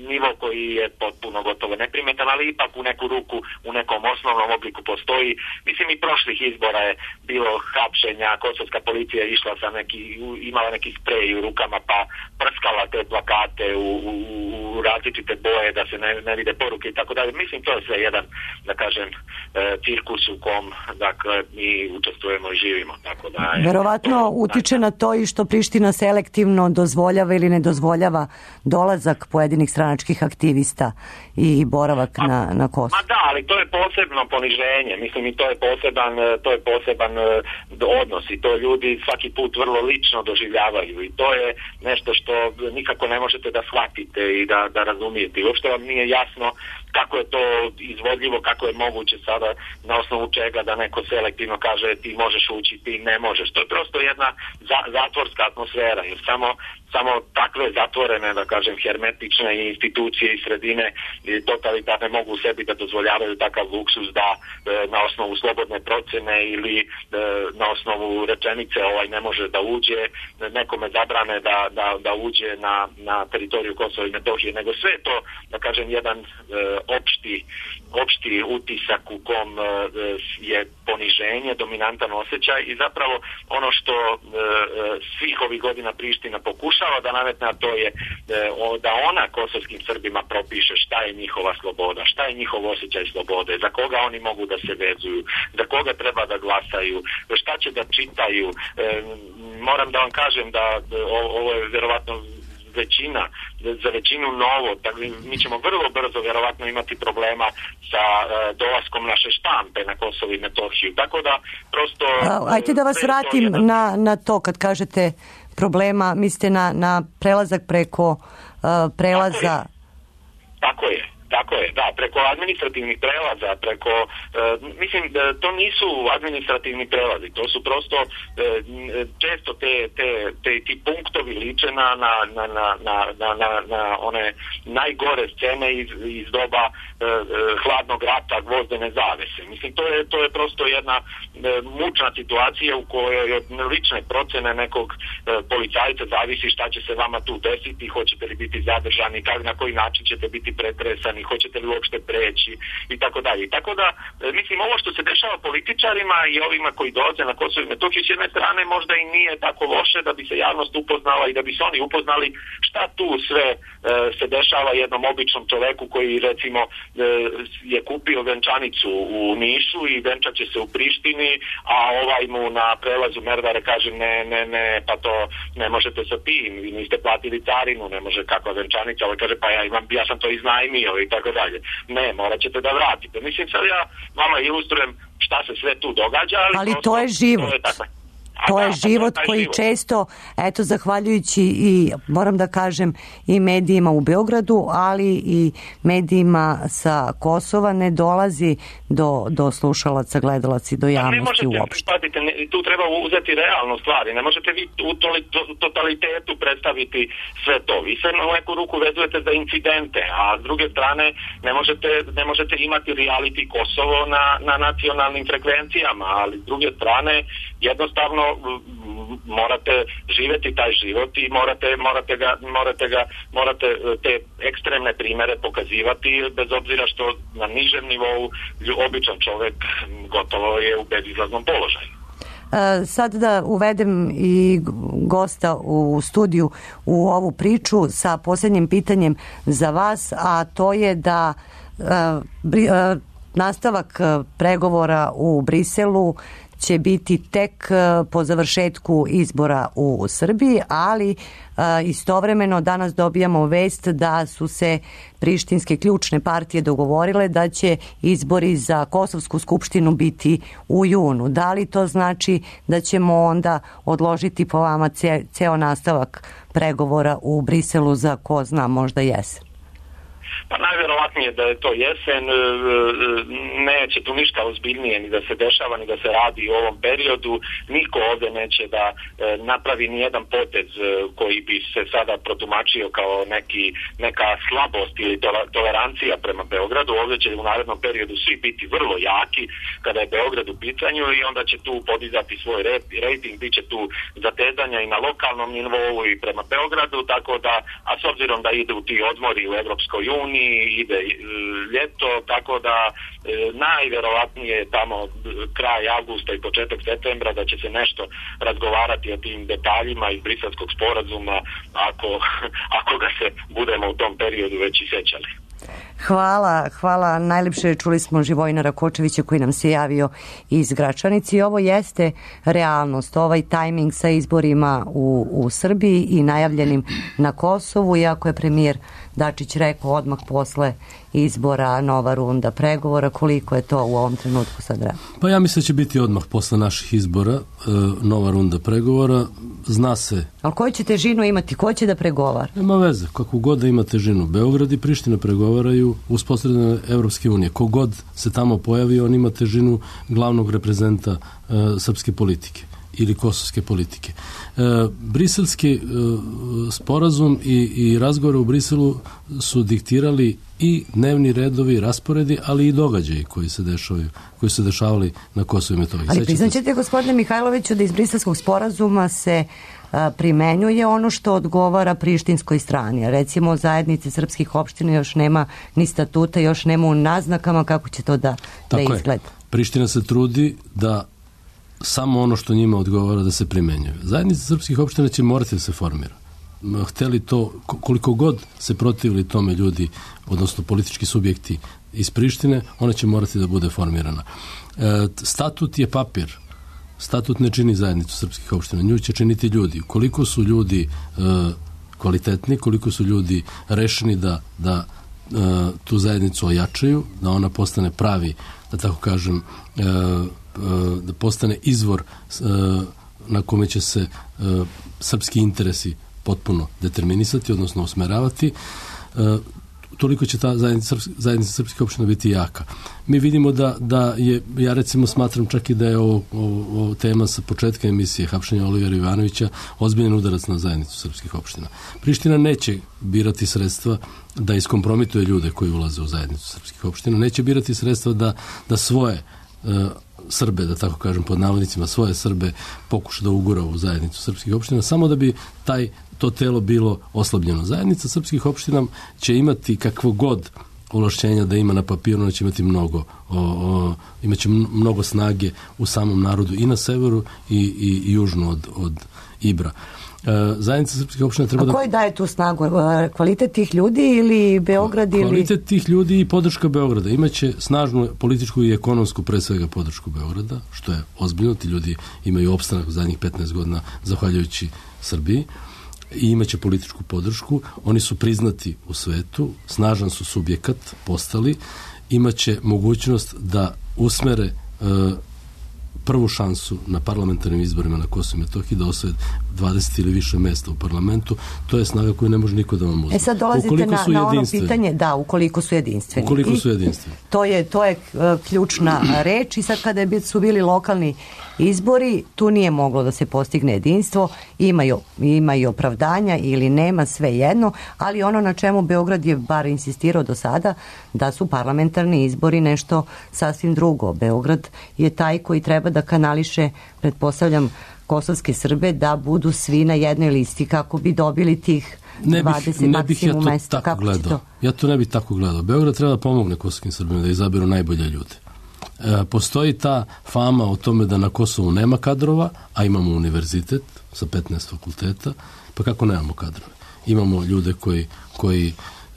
nivo koji je potpuno gotovo neprimetan, ali ipak u neku ruku, u nekom osnovnom obliku postoji. Mislim, i prošlih izbora je bilo hapšenja, kosovska policija je išla sa neki, imala neki sprej u rukama, pa prskala te plakate u, u, u različite boje da se ne, ne vide poruke i tako dalje. Mislim, to je sve jedan, da kažem, cirkus u kom, dakle, mi učestvujemo i živimo. Tako da je, verovatno to, utiče na to i što Priština selektivno dozvoljava ili ne dozvoljava dolazak pojedinih stranačkih aktivista i boravak ma, na, na Kosovu. Ma da, ali to je posebno poniženje. Mislim, i to je poseban, to je poseban odnos i to ljudi svaki put vrlo lično doživljavaju i to je nešto što nikako ne možete da shvatite i da, da razumijete. I uopšte vam nije jasno kako je to izvodljivo, kako je moguće sada na osnovu čega da neko selektivno kaže ti možeš ući, ti ne možeš. To je prosto jedna za, zatvorska atmosfera, jer samo samo takve zatvorene, da kažem, hermetične institucije i sredine totalitarne mogu sebi da dozvoljavaju takav luksus da e, na osnovu slobodne procene ili e, na osnovu rečenice ovaj ne može da uđe, nekome zabrane da, da, da uđe na, na teritoriju Kosova i Metohije, nego sve to, da kažem, jedan e, opšti, opšti utisak u kom e, je poniženje, dominantan osjećaj i zapravo ono što e, svih ovih godina Priština pokuša da nametne, a to je da ona kosovskim Srbima propiše šta je njihova sloboda, šta je njihov osjećaj slobode, za koga oni mogu da se vezuju, za koga treba da glasaju, šta će da čitaju. Moram da vam kažem da ovo je vjerovatno većina, za većinu novo, tako mi ćemo vrlo brzo vjerovatno imati problema sa uh, dolaskom naše štampe na Kosovo i Metohiju. Tako da prosto... A, ajte da vas vratim jedan... na, na to kad kažete problema, mislite na, na prelazak preko uh, prelaza... Tako je. Tako je. Tako je, da, preko administrativnih prelaza, preko, e, mislim, da to nisu administrativni prelazi, to su prosto e, često te, te, te, ti punktovi liče na, na, na, na, na, na, na one najgore scene iz, iz doba e, hladnog rata, gvozdene zavese. Mislim, to je, to je prosto jedna e, mučna situacija u kojoj od lične procene nekog e, policajca zavisi šta će se vama tu desiti, hoćete li biti zadržani, kak, na koji način ćete biti pretresani, hoćete li uopšte preći i tako dalje. Tako da, mislim, ovo što se dešava političarima i ovima koji dolaze na Kosovo i Metohiju s jedne strane možda i nije tako loše da bi se javnost upoznala i da bi se oni upoznali šta tu sve e, se dešava jednom običnom čoveku koji recimo e, je kupio venčanicu u Nišu i venčat će se u Prištini, a ovaj mu na prelazu Merdare kaže ne, ne, ne, pa to ne možete sa tim, vi niste platili carinu, ne može kakva venčanica, ovaj kaže pa ja imam, ja sam to iznajmio i tako dalje. Ne, morat ćete da vratite. Mislim, sad ja vama ilustrujem šta se sve tu događa, ali, ali prosto, to je život. To je, tako, to je da, život to je koji život. Često, eto, zahvaljujući i, moram da kažem, i medijima u Beogradu, ali i medijima sa Kosova ne dolazi do, do slušalaca, gledalaca i do javnosti uopšte. uopšte. Patite, ne, tu treba uzeti realno stvari. Ne možete vi u totalitetu predstaviti sve to. Vi se na neku ruku vezujete za incidente, a s druge strane ne možete, ne možete imati reality Kosovo na, na nacionalnim frekvencijama, ali s druge strane jednostavno morate živjeti taj život i morate, morate, ga, morate, ga, morate te ekstremne primere pokazivati bez obzira što na nižem nivou običan čovjek gotovo je u bezizlaznom položaju. Sad da uvedem i gosta u studiju u ovu priču sa posljednjim pitanjem za vas, a to je da nastavak pregovora u Briselu će biti tek po završetku izbora u Srbiji, ali istovremeno danas dobijamo vest da su se prištinske ključne partije dogovorile da će izbori za Kosovsku skupštinu biti u junu. Da li to znači da ćemo onda odložiti po vama ce, ceo nastavak pregovora u Briselu za ko zna možda jesen? Pa najvjerovatnije da je to jesen, neće tu ništa ozbiljnije ni da se dešava, ni da se radi u ovom periodu. Niko ovdje neće da napravi ni jedan potez koji bi se sada protumačio kao neki, neka slabost ili tolerancija prema Beogradu. Ovdje će u narednom periodu svi biti vrlo jaki kada je Beograd u pitanju i onda će tu podizati svoj rejting, bit će tu zatezanja i na lokalnom nivou i prema Beogradu, tako da, a s obzirom da idu ti odmori u Evropskoj uniji, ide ljeto, tako da e, najvjerovatnije tamo kraj avgusta i početak septembra da će se nešto razgovarati o tim detaljima iz Briselskog sporazuma ako, ako ga se budemo u tom periodu već i sjećali. Hvala, hvala. Najlepše čuli smo Živojina Rakočevića koji nam se javio iz Gračanice i ovo jeste realnost, ovaj tajming sa izborima u, u Srbiji i najavljenim na Kosovu, iako je premijer Dačić rekao odmah posle izbora nova runda pregovora. Koliko je to u ovom trenutku sad vremena? Pa ja mislim da će biti odmah posle naših izbora e, nova runda pregovora. Zna se. Ali koju će težinu imati? Ko će da pregovara? Nema veze. Kakvu god da ima težinu. Beograd i Priština pregovaraju uz posredne Evropske unije. Kogod se tamo pojavi, on ima težinu glavnog reprezenta e, srpske politike ili kosovske politike. E, briselski e, sporazum i, i razgovore u Briselu su diktirali i dnevni redovi, rasporedi, ali i događaji koji se dešavaju, koji se dešavali na Kosovu i Metohiji. Ali priznaćete, gospodine Mihajloviću, da iz briselskog sporazuma se a, primenjuje ono što odgovara prištinskoj strani. Recimo, zajednice srpskih opština još nema ni statuta, još nema u naznakama kako će to da, da izgleda. Je. Priština se trudi da samo ono što njima odgovara da se primenjuje. Zajednica srpskih opština će morati da se formira. Hteli to, koliko god se protivili tome ljudi, odnosno politički subjekti iz Prištine, ona će morati da bude formirana. E, statut je papir. Statut ne čini zajednicu srpskih opština. Nju će činiti ljudi. Koliko su ljudi e, kvalitetni, koliko su ljudi rešeni da, da e, tu zajednicu ojačaju, da ona postane pravi, da tako kažem, e, e, da postane izvor e, na kome će se e, srpski interesi potpuno determinisati, odnosno usmeravati, e, toliko će ta zajednica, zajednica srpskih opština biti jaka. Mi vidimo da, da je, ja recimo smatram čak i da je ovo, ovo, ovo tema sa početka emisije hapšenja Olivera Ivanovića ozbiljan udarac na zajednicu srpskih opština. Priština neće birati sredstva da iskompromituje ljude koji ulaze u zajednicu srpskih opština, neće birati sredstva da, da svoje e, Srbe, da tako kažem pod navodnicima, svoje Srbe pokuša da ugura u zajednicu srpskih opština, samo da bi taj to telo bilo oslabljeno. Zajednica srpskih opština će imati kakvo god ovlašćenja da ima na papiru, ona će imati mnogo, o, o, imaće mnogo snage u samom narodu i na severu i, i, i južno od, od Ibra. E, zajednica srpskih opština treba da... A koji daje tu snagu? Kvalitet tih ljudi ili Beograd? Kvalitet ili... tih ljudi i podrška Beograda. Imaće snažnu političku i ekonomsku, pre svega podršku Beograda, što je ozbiljno. Ti ljudi imaju opstanak u zadnjih petnaest godina zahvaljujući Srbiji i imaće političku podršku. Oni su priznati u svetu, snažan su subjekat postali, imaće mogućnost da usmere e, prvu šansu na parlamentarnim izborima na Kosovu i Metohiji, da osvoje dvadeset ili više mesta u parlamentu. To je snaga koju ne može niko da vam uzme. E sad dolazite ukoliko na, na ono pitanje, da, ukoliko su jedinstveni. Ukoliko su jedinstveni. I to je, to je uh, ključna reč i sad kada je, su bili lokalni izbori, tu nije moglo da se postigne jedinstvo, imaju, imaju opravdanja ili nema, sve jedno, ali ono na čemu Beograd je bar insistirao do sada, da su parlamentarni izbori nešto sasvim drugo. Beograd je taj koji treba da kanališe, pretpostavljam, kosovske Srbe da budu svi na jednoj listi kako bi dobili tih ne bih, dvadeset ne bih ja to mesta. tako gledao. Ja to ne bih tako gledao. Beograd treba da pomogne kosovskim Srbima da izaberu najbolje ljude. E, postoji ta fama o tome da na Kosovu nema kadrova, a imamo univerzitet sa petnaest fakulteta, pa kako nemamo kadrove? Imamo ljude koji, koji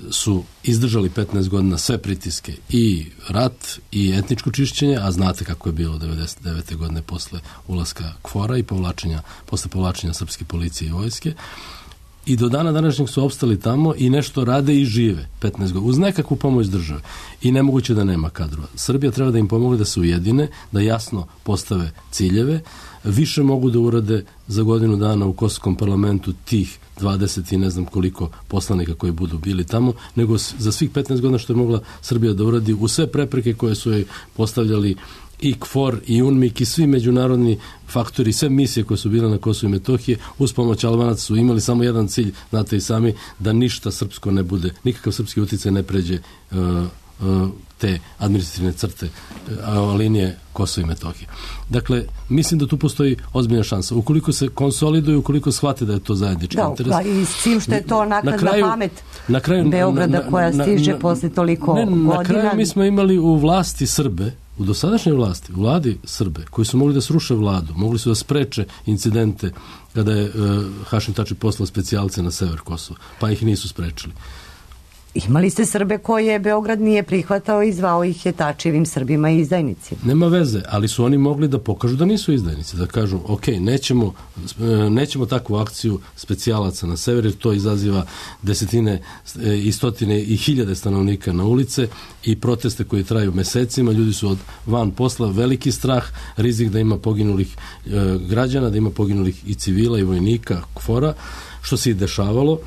su izdržali petnaest godina sve pritiske, i rat i etničko čišćenje, a znate kako je bilo devedeset devete godine posle ulaska KFOR-a i povlačenja, posle povlačenja srpske policije i vojske. I do dana današnjeg su opstali tamo i nešto rade i žive petnaest godina, uz nekakvu pomoć države. I nemoguće da nema kadrova. Srbija treba da im pomogne da se ujedine, da jasno postave ciljeve, više mogu da urade za godinu dana u kosovskom parlamentu tih dvadeset i ne znam koliko poslanika koji budu bili tamo, nego za svih petnaest godina što je mogla Srbija da uradi u sve prepreke koje su joj postavljali i KFOR i UNMIK i svi međunarodni faktori, sve misije koje su bile na Kosovu i Metohiji, uz pomoć Albanaca su imali samo jedan cilj, znate i sami, da ništa srpsko ne bude, nikakav srpski uticaj ne pređe uh, uh, te administrativne crte, uh, linije Kosova i Metohije. Dakle, mislim da tu postoji ozbiljna šansa. Ukoliko se konsoliduju, ukoliko shvate da je to zajednički da, interes. Da, i s tim što je to naknadna na kraju, pamet na kraju, Beograda na, na, koja stiže na, posle toliko ne, godina. Na kraju mi smo imali u vlasti Srbe, u dosadašnjoj vlasti, u vladi Srbe, koji su mogli da sruše vladu, mogli su da spreče incidente kada je uh, Hašim Tači poslao specijalce na sever Kosova, pa ih nisu sprečili. Imali ste Srbe koje Beograd nije prihvatao i zvao ih je Tačevim Srbima i izdajnicima. Nema veze, ali su oni mogli da pokažu da nisu izdajnici, da kažu, ok, nećemo, nećemo takvu akciju specijalaca na sever, jer to izaziva desetine i stotine i hiljade stanovnika na ulice i proteste koji traju mesecima, ljudi su od van posla, veliki strah, rizik da ima poginulih e, građana, da ima poginulih i civila i vojnika KFOR-a, što se i dešavalo.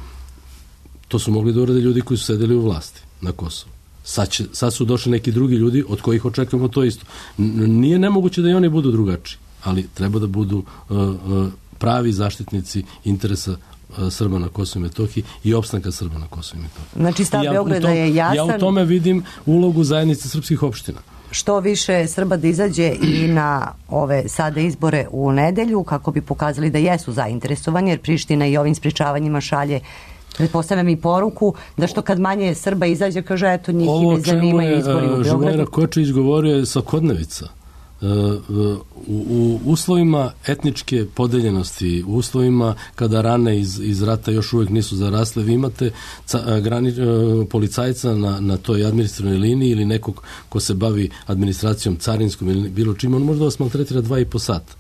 To su mogli da urade ljudi koji su sedeli u vlasti na Kosovu. Sad, će, sad su došli neki drugi ljudi od kojih očekujemo to isto. N- nije nemoguće da i oni budu drugačiji, ali treba da budu uh, uh, pravi zaštitnici interesa uh, Srba na Kosovu i Metohiji i opstanka Srba na Kosovu i Metohiji. Znači stav ja Beograda tom, je jasan. Ja u tome vidim ulogu zajednice srpskih opština. Što više Srba da izađe i na ove sada izbore u nedelju, kako bi pokazali da jesu zainteresovani, jer Priština i ovim sprečavanjima šalje, pretpostavljam, i poruku da što kad manje Srba izađe, kaže, eto, njih i ne zanimaju izbori u Beogradu. Ovo Živojna Kočević govorio je svakodnevica. U, u uslovima etničke podeljenosti, u uslovima kada rane iz, iz rata još uvijek nisu zarasle, vi imate ca, grani, policajca na, na toj administrativnoj liniji ili nekog ko se bavi administracijom carinskom ili bilo čim, on može da vas maltretira dva i po sata.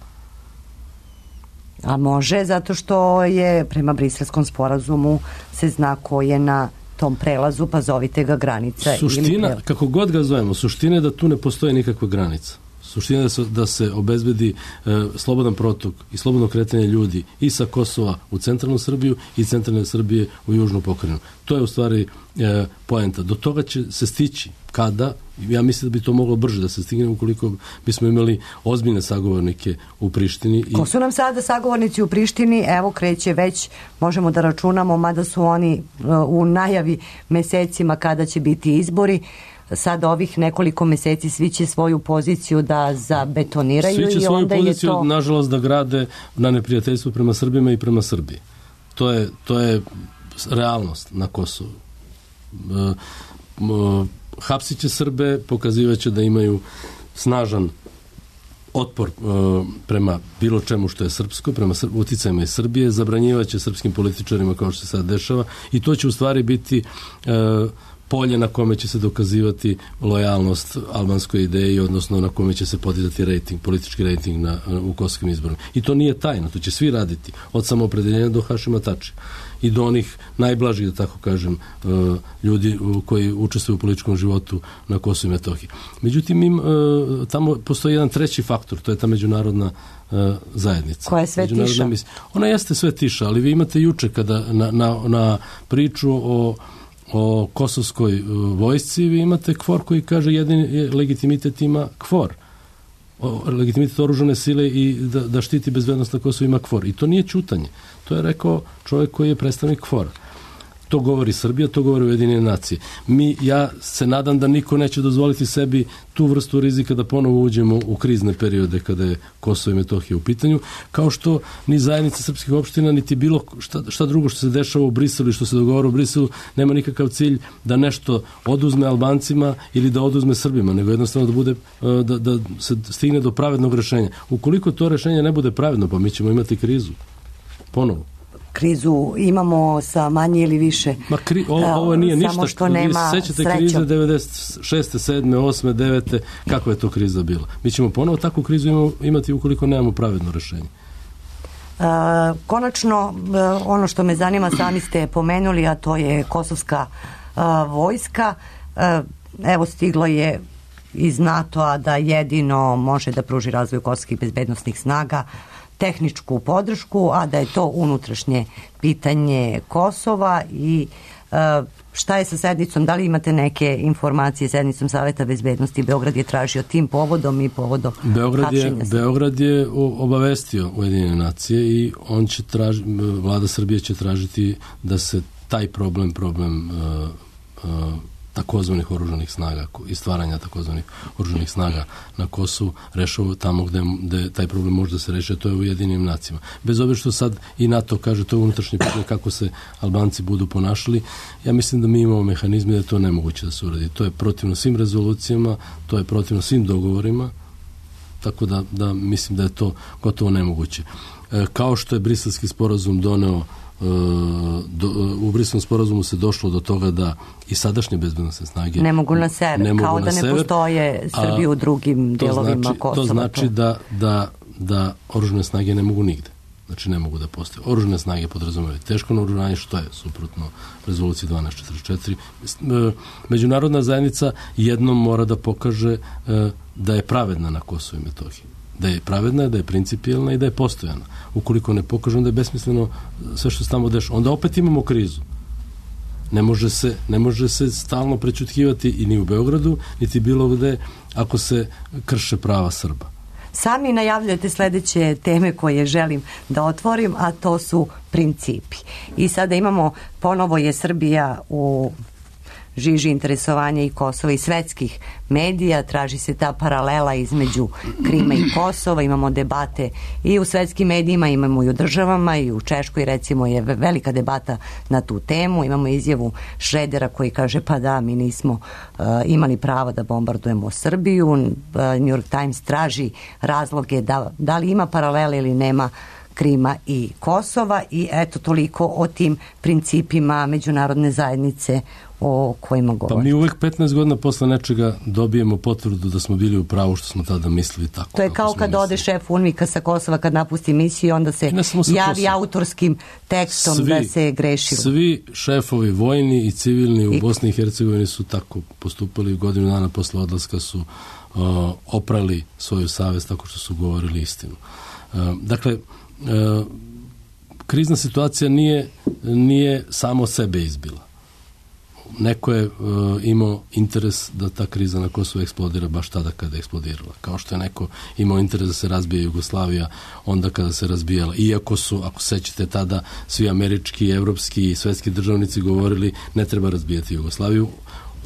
A može, zato što je prema Briselskom sporazumu se zna ko je na tom prelazu, pa zovite ga granica. Suština, ili kako god ga zovemo, suština je da tu ne postoji nikakva granica. Suština je da se, da se obezbedi e, slobodan protok i slobodno kretanje ljudi i sa Kosova u centralnu Srbiju i centralne Srbije u južnu pokrajinu. To je u stvari e, poenta. Do toga će se stići kada, ja mislim da bi to moglo brže da se stigne ukoliko bismo imali ozbiljne sagovornike u Prištini. I... Ko su nam sada sagovornici u Prištini? Evo kreće već, možemo da računamo, mada su oni uh, u najavi mesecima kada će biti izbori. Sad ovih nekoliko meseci svi će svoju poziciju da zabetoniraju. Svi će i svoju onda poziciju, je to... nažalost, da grade na neprijateljstvu prema Srbima i prema Srbiji. To je, to je realnost na Kosovu. Uh, uh, hapsit će Srbe, pokazivaće da imaju snažan otpor uh, prema bilo čemu što je srpsko, prema sr- uticajima iz Srbije, zabranjivaće srpskim političarima kao što se sad dešava i to će u stvari biti uh, polje na kome će se dokazivati lojalnost albanskoj ideji, odnosno na kome će se podizati rejting, politički rejting na, u kosovskim izborima. I to nije tajno, to će svi raditi, od samoopredeljenja do Hašima Tači i do onih najblažih, da tako kažem, ljudi koji učestvuju u političkom životu na Kosovu i Metohiji. Međutim, im, tamo postoji jedan treći faktor, to je ta međunarodna zajednica. Koja je sve tiša? Ona jeste sve tiša, ali vi imate juče kada na, na, na priču o o kosovskoj vojsci, vi imate KFOR koji kaže jedini legitimitet ima KFOR. O, legitimitet oružane sile i da, da štiti bezbednost na Kosovu ima KFOR. I to nije ćutanje. To je rekao čovjek koji je predstavnik KFOR-a. To govori Srbija, to govori Ujedinjene nacije. Mi, ja se nadam da niko neće dozvoliti sebi tu vrstu rizika da ponovo uđemo u krizne periode kada je Kosovo i Metohija u pitanju, kao što ni zajednica srpskih opština, niti bilo šta, šta drugo što se dešava u Briselu i što se dogovara u Briselu, nema nikakav cilj da nešto oduzme Albancima ili da oduzme Srbima, nego jednostavno da bude, da, da se stigne do pravednog rešenja. Ukoliko to rešenje ne bude pravedno, pa mi ćemo imati krizu. Ponovo. Krizu imamo sa manje ili više. Ma kri, ovo, ovo nije ništa. Samo što nema sećate srećom. Krize devedeset šeste, sedme, osme, devete Kakva je to kriza bila? Mi ćemo ponovo takvu krizu imati ukoliko nemamo pravedno rešenje. Uh, konačno, uh, ono što me zanima, sami ste pomenuli, a to je kosovska uh, vojska. Uh, evo, stiglo je iz NATO-a da jedino može da pruži razvoj kosovskih bezbednostnih snaga tehničku podršku, a da je to unutrašnje pitanje Kosova i uh, šta je sa sednicom, da li imate neke informacije sednicom Saveta bezbednosti? Beograd je tražio tim povodom i povodom Beograd je, hapšenja. Beograd je obavestio Ujedinjene nacije i on će traži, vlada Srbije će tražiti da se taj problem, problem uh, uh, takozvanih oružanih snaga i stvaranja takozvanih oružanih snaga na Kosovu rešava tamo gde, gde taj problem može da se reši, to je u Ujedinjenim nacijama. Bez obzira što sad i NATO kaže to je unutrašnje pitanje kako se Albanci budu ponašali, ja mislim da mi imamo mehanizme da je to nemoguće da se uradi. To je protivno svim rezolucijama, to je protivno svim dogovorima, tako da, da mislim da je to gotovo nemoguće. E, kao što je Briselski sporazum doneo Do, u Briselskom sporazumu se došlo do toga da i sadašnje bezbednosne snage ne mogu na sever, ne kao da ne sever, postoje Srbije u drugim delovima znači, Kosova. To znači da, da, da oružane snage ne mogu nigde. Znači ne mogu da postoje. Oružane snage podrazumevaju teško naoružanje, što je suprotno rezoluciji dvanaest četrdeset četiri. Međunarodna zajednica jednom mora da pokaže da je pravedna na Kosovu i Metohiji. Da je pravedna, da je principijelna i da je postojana. Ukoliko ne pokaže, onda je besmisleno sve što se tamo dešava. Onda opet imamo krizu. Ne može se, ne može se stalno prećutkivati i ni u Beogradu, niti bilo gde ako se krše prava Srba. Sami najavljujete sledeće teme koje želim da otvorim, a to su principi. I sada imamo, ponovo je Srbija u žiži interesovanja i Kosova i svetskih medija, traži se ta paralela između Krima i Kosova, imamo debate i u svetskim medijima, imamo i u državama, i u Češkoj recimo je velika debata na tu temu, imamo izjavu Šredera koji kaže pa da, mi nismo uh, imali pravo da bombardujemo Srbiju, uh, New York Times traži razloge da, da li ima paralele ili nema Krima i Kosova i eto toliko o tim principima međunarodne zajednice o kojima govorimo. Pa mi uvek petnaest godina posle nečega dobijemo potvrdu da smo bili u pravu što smo tada mislili tako. To je kao kad ode šef UNMIK-a sa Kosova kad napusti misiju i onda se javi Kosova autorskim tekstom svi, da se grešilo. Svi šefovi vojni i civilni u I... Bosni i Hercegovini su tako postupali. Godinu dana posle odlaska su uh, oprali svoju savest tako što su govorili istinu. Uh, dakle, uh, krizna situacija nije, nije samo sebe izbila. Neko je uh, imao interes da ta kriza na Kosovu eksplodira baš tada kada je eksplodirala. Kao što je neko imao interes da se razbije Jugoslavija onda kada se razbijala. Iako su, ako sećate tada, svi američki, evropski i svetski državnici govorili ne treba razbijati Jugoslaviju.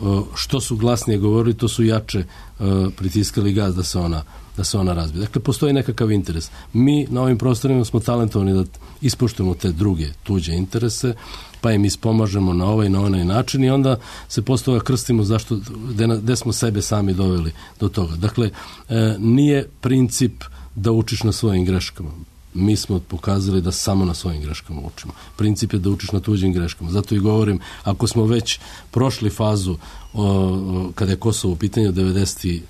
Uh, što su glasnije govorili, to su jače uh, pritiskali gaz da se ona da se ona razbije. Dakle, postoji nekakav interes. Mi na ovim prostorima smo talentovani da ispoštujemo te druge tuđe interese, pa im ispomažemo na ovaj i na onaj način i onda se posle toga krstimo zašto, gde smo sebe sami doveli do toga. Dakle, e, nije princip da učiš na svojim greškama. Mi smo pokazali da samo na svojim greškama učimo. Princip je da učiš na tuđim greškama. Zato i govorim, ako smo već prošli fazu o, o, kada je Kosovo u pitanju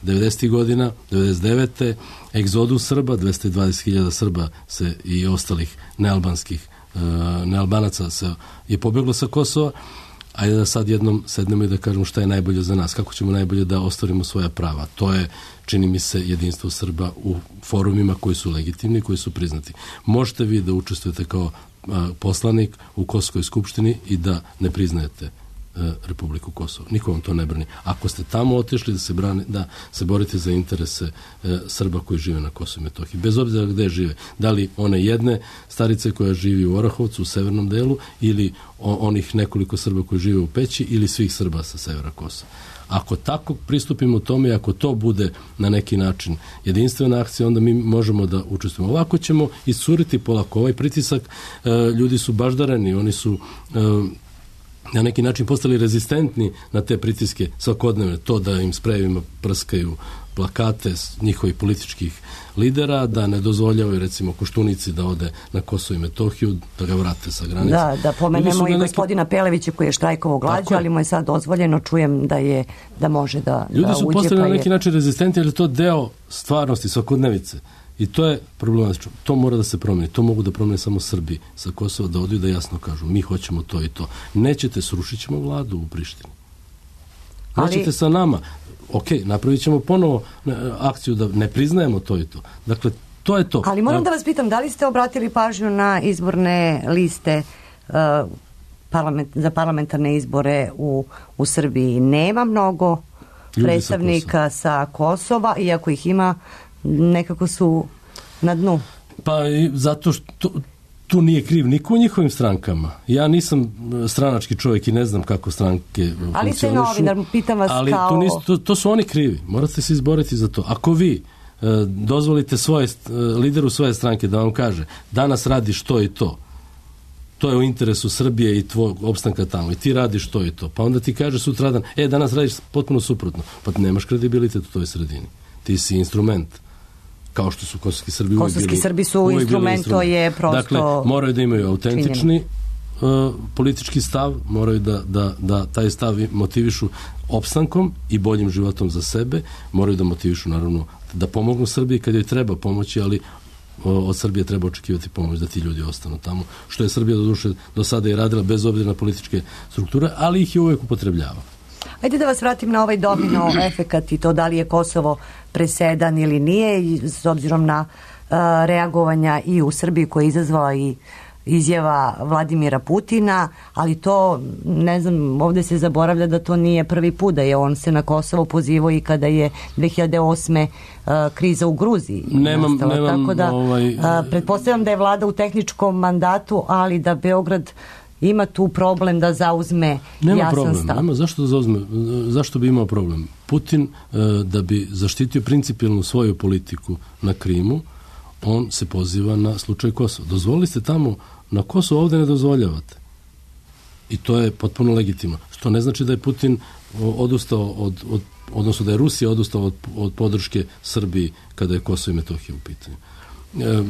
devedesetih godina, devedeset devete egzodus Srba, dvesta dvadeset hiljada Srba se i ostalih nealbanskih uh, nealbanaca se je pobjeglo sa Kosova. Ajde da sad jednom sednemo i da kažemo šta je najbolje za nas, kako ćemo najbolje da ostvarimo svoja prava. To je, čini mi se, jedinstvo Srba u forumima koji su legitimni, koji su priznati. Možete vi da učestvujete kao a, poslanik u Kosovskoj skupštini i da ne priznajete a, Republiku Kosovo. Niko vam to ne brani. Ako ste tamo otišli da se, brani, da se borite za interese a, Srba koji žive na Kosovu i Metohiji, bez obzira gde žive, da li one jedne starice koja živi u Orahovcu, u severnom delu, ili o, onih nekoliko Srba koji žive u Peći, ili svih Srba sa severa Kosova. Ako tako pristupimo tome, ako to bude na neki način jedinstvena akcija, onda mi možemo da učestvujemo. Ovako ćemo iscuriti polako. Ovaj pritisak, e, ljudi su baždareni, oni su e, na neki način postali rezistentni na te pritiske svakodnevne. To da im sprejevima prskaju plakate njihovih političkih lidera, da ne dozvoljavaju recimo Koštunici da ode na Kosovo i Metohiju, da ga vrate sa granice. Da, da pomenemo i neki... gospodina Pelevića koji je štrajkovao glađu, ali mu je sad dozvoljeno, čujem da je da može da, ljudi da uđe. Ljudi su postali pa na neki je... način rezistenti, jer je to deo stvarnosti, svakodnevice. I to je problematično. To mora da se promeni. To mogu da promene samo Srbi sa Kosova, da odu i da jasno kažu mi hoćemo to i to. Nećete, srušit ćemo vladu u Prištini. Nećete ali... sa nama. Ok, napravit ćemo ponovo akciju da ne priznajemo to i to. Dakle, to je to. Ali moram da vas pitam, da li ste obratili pažnju na izborne liste uh, parlament, za parlamentarne izbore u, u Srbiji? Nema mnogo ljudi predstavnika sa Kosova. sa Kosova, iako ih ima, nekako su na dnu. Pa i zato što tu nije kriv niko u njihovim strankama. Ja nisam stranački čovjek i ne znam kako stranke funkcionišu. Ali ste novinar, pitam vas ali kao... Ali to, to, to su oni krivi. Morate se izboriti za to. Ako vi e, dozvolite svoje, e, lideru svoje stranke da vam kaže danas radiš to i to, to je u interesu Srbije i tvojeg opstanka tamo i ti radiš to i to. Pa onda ti kaže sutradan, e, danas radiš potpuno suprotno. Pa nemaš kredibilitet u toj sredini. Ti si instrument. Kao što su kosovski Srbi uvijek bili. Kosovski Srbi su instrument, to je prosto... Dakle, moraju da imaju autentični uh, politički stav, moraju da, da, da taj stav motivišu opstankom i boljim životom za sebe, moraju da motivišu, naravno, da pomognu Srbiji kad joj treba pomoći, ali uh, od Srbije treba očekivati pomoć da ti ljudi ostanu tamo, što je Srbija do duše do sada i radila bez obzira na političke strukture, ali ih je uvijek upotrebljava. Ajde da vas vratim na ovaj domino efekat i to da li je Kosovo presedan ili nije, i s obzirom na uh, reagovanja i u Srbiji koja je izazvala i izjava Vladimira Putina, ali to, ne znam, ovdje se zaboravlja da to nije prvi put, da je on se na Kosovo pozivao i kada je dve hiljade osme uh, kriza u Gruziji nemam, nastala. Nemam, tako da ovaj... uh, pretpostavljam da je vlada u tehničkom mandatu, ali da Beograd ima tu problem da zauzme nema jasan problem, stav. Nema, zašto da zauzme? Zašto bi imao problem? Putin, da bi zaštitio principijelnu svoju politiku na Krimu, on se poziva na slučaj Kosova. Dozvolili ste tamo na Kosovo, ovdje ne dozvoljavate. I to je potpuno legitimno. Što ne znači da je Putin odustao od, od odnosno da je Rusija odustao od, od podrške Srbiji kada je Kosovo i Metohija u pitanju.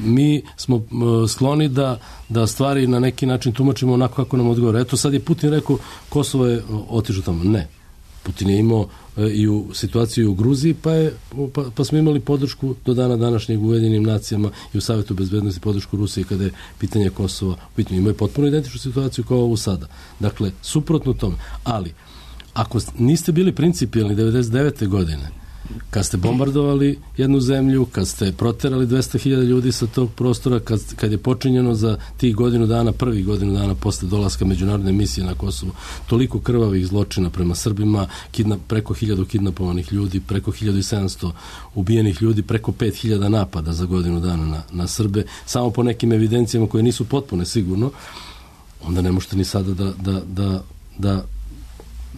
mi smo skloni da, da stvari na neki način tumačimo onako kako nam odgovara. Eto sad je Putin rekao Kosovo je otišlo tamo. Ne. Putin je imao i u situaciju u Gruziji, pa, je, pa, pa smo imali podršku do dana današnjeg u Ujedinjenim nacijama i u Savjetu bezbednosti podršku Rusije kada je pitanje Kosova pitanje. Imaju potpuno identičnu situaciju kao ovu sada. Dakle, suprotno tome. Ali, ako niste bili principijelni devedeset devete godine, kad ste bombardovali jednu zemlju, kad ste proterali dvesta hiljada ljudi sa tog prostora, kad, kad je počinjeno za tih godinu dana, prvih godinu dana posle dolaska međunarodne misije na Kosovu, toliko krvavih zločina prema Srbima, kidnap, preko hiljadu kidnapovanih ljudi, preko hiljadu sedamsto ubijenih ljudi, preko pet hiljada napada za godinu dana na, na Srbe, samo po nekim evidencijama koje nisu potpune sigurno, onda ne možete ni sada da, da, da, da,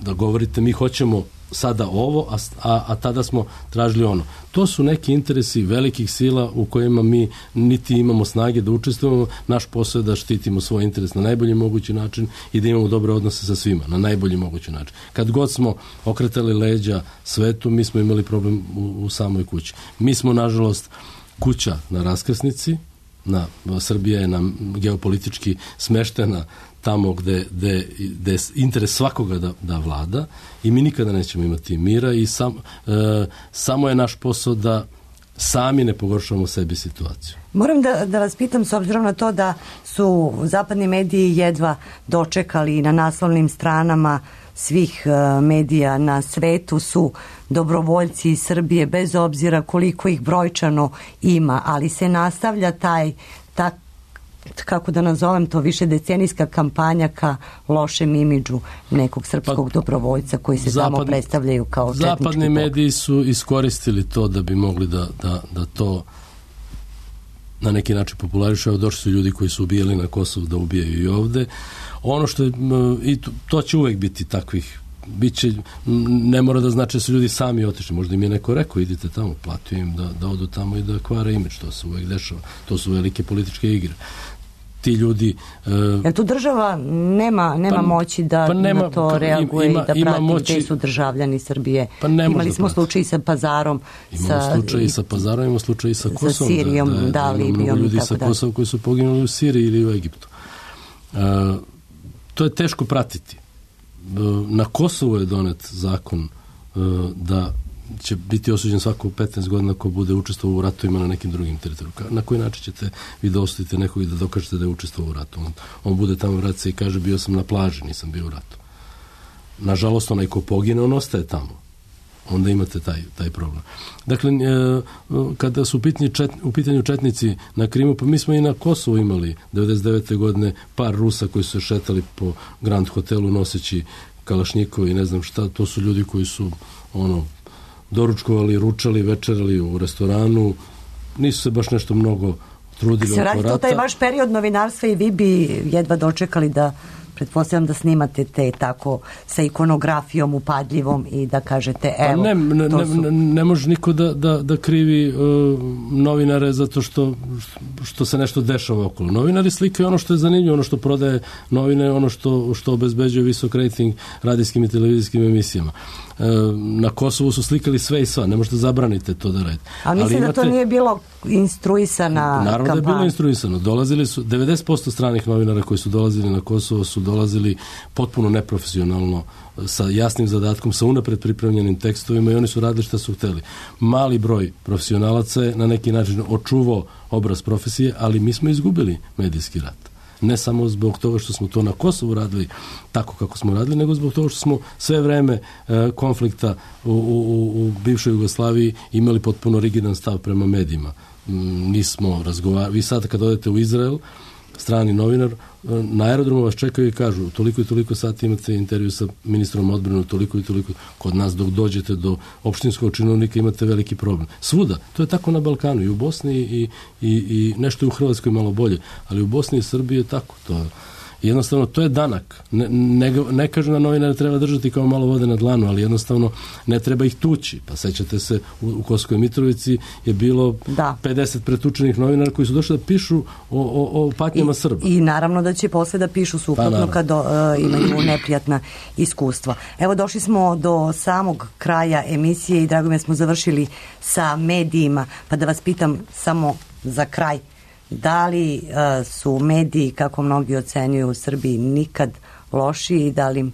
da govorite mi hoćemo sada ovo, a, a, a tada smo tražili ono. To su neki interesi velikih sila u kojima mi niti imamo snage da učestvujemo. Naš posao je da štitimo svoj interes na najbolji mogući način i da imamo dobre odnose sa svima, na najbolji mogući način. Kad god smo okretali leđa svetu, mi smo imali problem u, u samoj kući. Mi smo, nažalost, kuća na raskrsnici, na, Srbija je nam geopolitički smeštena tamo gde, gde, gde je interes svakoga da, da vlada i mi nikada nećemo imati mira i sam, e, samo je naš posao da sami ne pogoršavamo sebi situaciju. Moram da, da vas pitam, s obzirom na to da su zapadni mediji jedva dočekali na naslovnim stranama svih uh, medija na svetu su dobrovoljci iz Srbije, bez obzira koliko ih brojčano ima, ali se nastavlja taj tak, kako da nazovem to, više decenijska kampanja ka lošem imidžu nekog srpskog pa, dobrovoljca koji se zapad, samo predstavljaju kao četnički bog. Zapadni mediji su iskoristili to da bi mogli da, da, da to na neki način popularišu. Došli su ljudi koji su ubijali na Kosovu da ubijaju i ovde. Ono što je, i to, to će uvek biti takvih, biće, ne mora da znači da su ljudi sami otišli, možda im je neko rekao idite tamo, platio im da, da odu tamo i da kvare imidž, to se uvek dešava, to su velike političke igre. Ti ljudi... Uh, Jer tu država nema, nema pa, moći da pa nema, na to reaguje ima, i da ima prati moći, gde su državljani Srbije. Pa imali smo slučaj sa Pazarom. Imamo sa, slučaj i sa Pazarom, imamo slučaj i sa Kosovom. Sa Sirijom, da, da, da Libijom. Mnogo ljudi sa Kosova koji su poginuli u Siriji ili u Egiptu. Uh, to je teško pratiti. Uh, na Kosovu je donet zakon uh, da će biti osuđen svako petnaest godina ko bude učestvovao u ratovima na nekim drugim teritorijama. Na koji način ćete vi da osudite nekog i da dokažete da je učestvovao u ratu? On, on bude tamo, vrati se i kaže bio sam na plaži, nisam bio u ratu. Nažalost, onaj ko pogine, on ostaje tamo. Onda imate taj, taj problem. Dakle, e, kada su u pitanju, čet, u pitanju četnici na Krimu, pa mi smo i na Kosovu imali devedeset devete godine par Rusa koji su se šetali po Grand hotelu noseći kalašnjikovi i ne znam šta. To su ljudi koji su ono doručkovali, ručali, večerali u restoranu, nisu se baš nešto mnogo trudili oko rata. Se radi to taj vaš period novinarstva i vi bi jedva dočekali da, pretpostavljam da snimate te tako sa ikonografijom upadljivom i da kažete evo. Pa ne, ne, to su... ne, ne može niko da, da, da krivi uh, novinare zato što, što se nešto dešava okolo. Novinari slikaju ono što je zanimljivo, ono što prodaje novine, ono što, što obezbeđuje visok rating radijskim i televizijskim emisijama. Na Kosovu su slikali sve i sva, ne možete zabranite to da radite. A mislim ali imate... da to nije bilo instruisana kampanja. Naravno da je bilo instruisano. Dolazili su, devedeset posto stranih novinara koji su dolazili na Kosovo su dolazili potpuno neprofesionalno, sa jasnim zadatkom, sa unapred pripremljenim tekstovima i oni su radili šta su hteli. Mali broj profesionalaca je na neki način očuvao obraz profesije, ali mi smo izgubili medijski rat. Ne samo zbog toga što smo to na Kosovu radili tako kako smo radili, nego zbog toga što smo sve vreme e, konflikta u, u, u bivšoj Jugoslaviji imali potpuno rigidan stav prema medijima. M, nismo razgovarali. Vi sad kad odete u Izrael, strani novinar, na aerodromu vas čekaju i kažu toliko i toliko sati imate intervju sa ministrom odbrane, toliko i toliko. Kod nas dok dođete do opštinskog činovnika imate veliki problem. Svuda. To je tako na Balkanu. I u Bosni i, i, i nešto je u Hrvatskoj malo bolje. Ali u Bosni i Srbiji je tako. To je jednostavno, to je danak. Ne, ne, ne kažu na novinare treba držati kao malo vode na dlanu, ali jednostavno ne treba ih tući. Pa sećate se, u, u Kosovskoj Mitrovici je bilo da. pedeset pretučenih novinara koji su došli da pišu o, o, o patnjama I, Srba. I naravno da će posle da pišu suprotno pa, kad uh, imaju neprijatna iskustva. Evo, došli smo do samog kraja emisije i drago mi smo završili sa medijima. Pa da vas pitam samo za kraj, da li uh, su mediji, kako mnogi ocenjuju u Srbiji, nikad lošiji i da li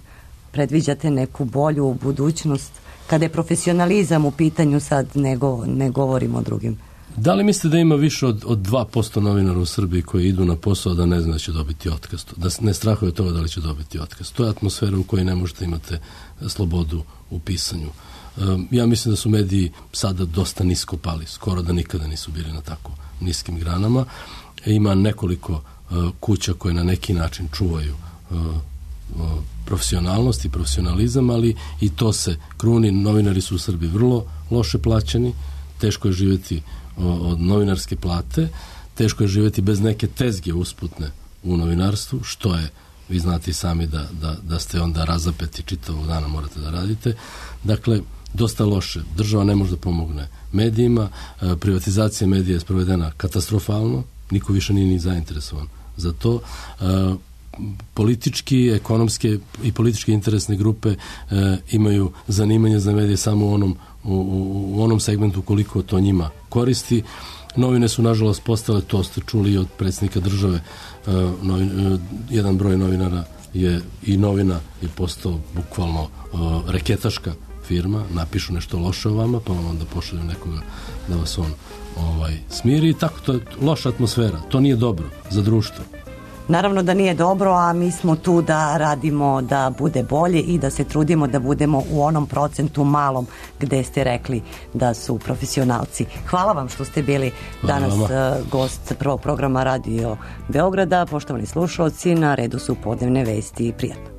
predviđate neku bolju budućnost kada je profesionalizam u pitanju, sad ne, go, ne govorimo o drugim? Da li mislite da ima više od, od dva posto novinara u Srbiji koji idu na posao da ne zna da će dobiti otkaz, da ne strahuje toga da li će dobiti otkaz? To je atmosfera u kojoj ne možete imate slobodu u pisanju. Um, ja mislim da su mediji sada dosta nisko pali, skoro da nikada nisu bili na tako niskim granama. E, ima nekoliko uh, kuća koje na neki način čuvaju uh, uh, profesionalnost i profesionalizam, ali i to se kruni. Novinari su u Srbiji vrlo loše plaćeni, teško je živjeti od novinarske plate, teško je živjeti bez neke tezge usputne u novinarstvu, što je, vi znate i sami da, da, da ste onda razapeti čitavog dana morate da radite. Dakle, dosta loše. Država ne može da pomogne medijima, privatizacija medija je sprovedena katastrofalno, niko više nije ni zainteresovan za to. Politički, ekonomske i političke interesne grupe imaju zanimanje za medije samo u onom U, u onom segmentu koliko to njima koristi. Novine su nažalost postale, to ste čuli od predsjednika države, uh, novin, uh, jedan broj novinara je i novina je postao bukvalno uh, reketaška firma, napišu nešto loše o vama pa vam onda pošalju nekoga da vas on ovaj, smiri i tako, to je loša atmosfera, to nije dobro za društvo. Naravno da nije dobro, a mi smo tu da radimo da bude bolje i da se trudimo da budemo u onom procentu malom gde ste rekli da su profesionalci. Hvala vam što ste bili danas uh, gost prvog programa Radio Beograda. Poštovani slušalci, na redu su podnevne vesti. Prijatno.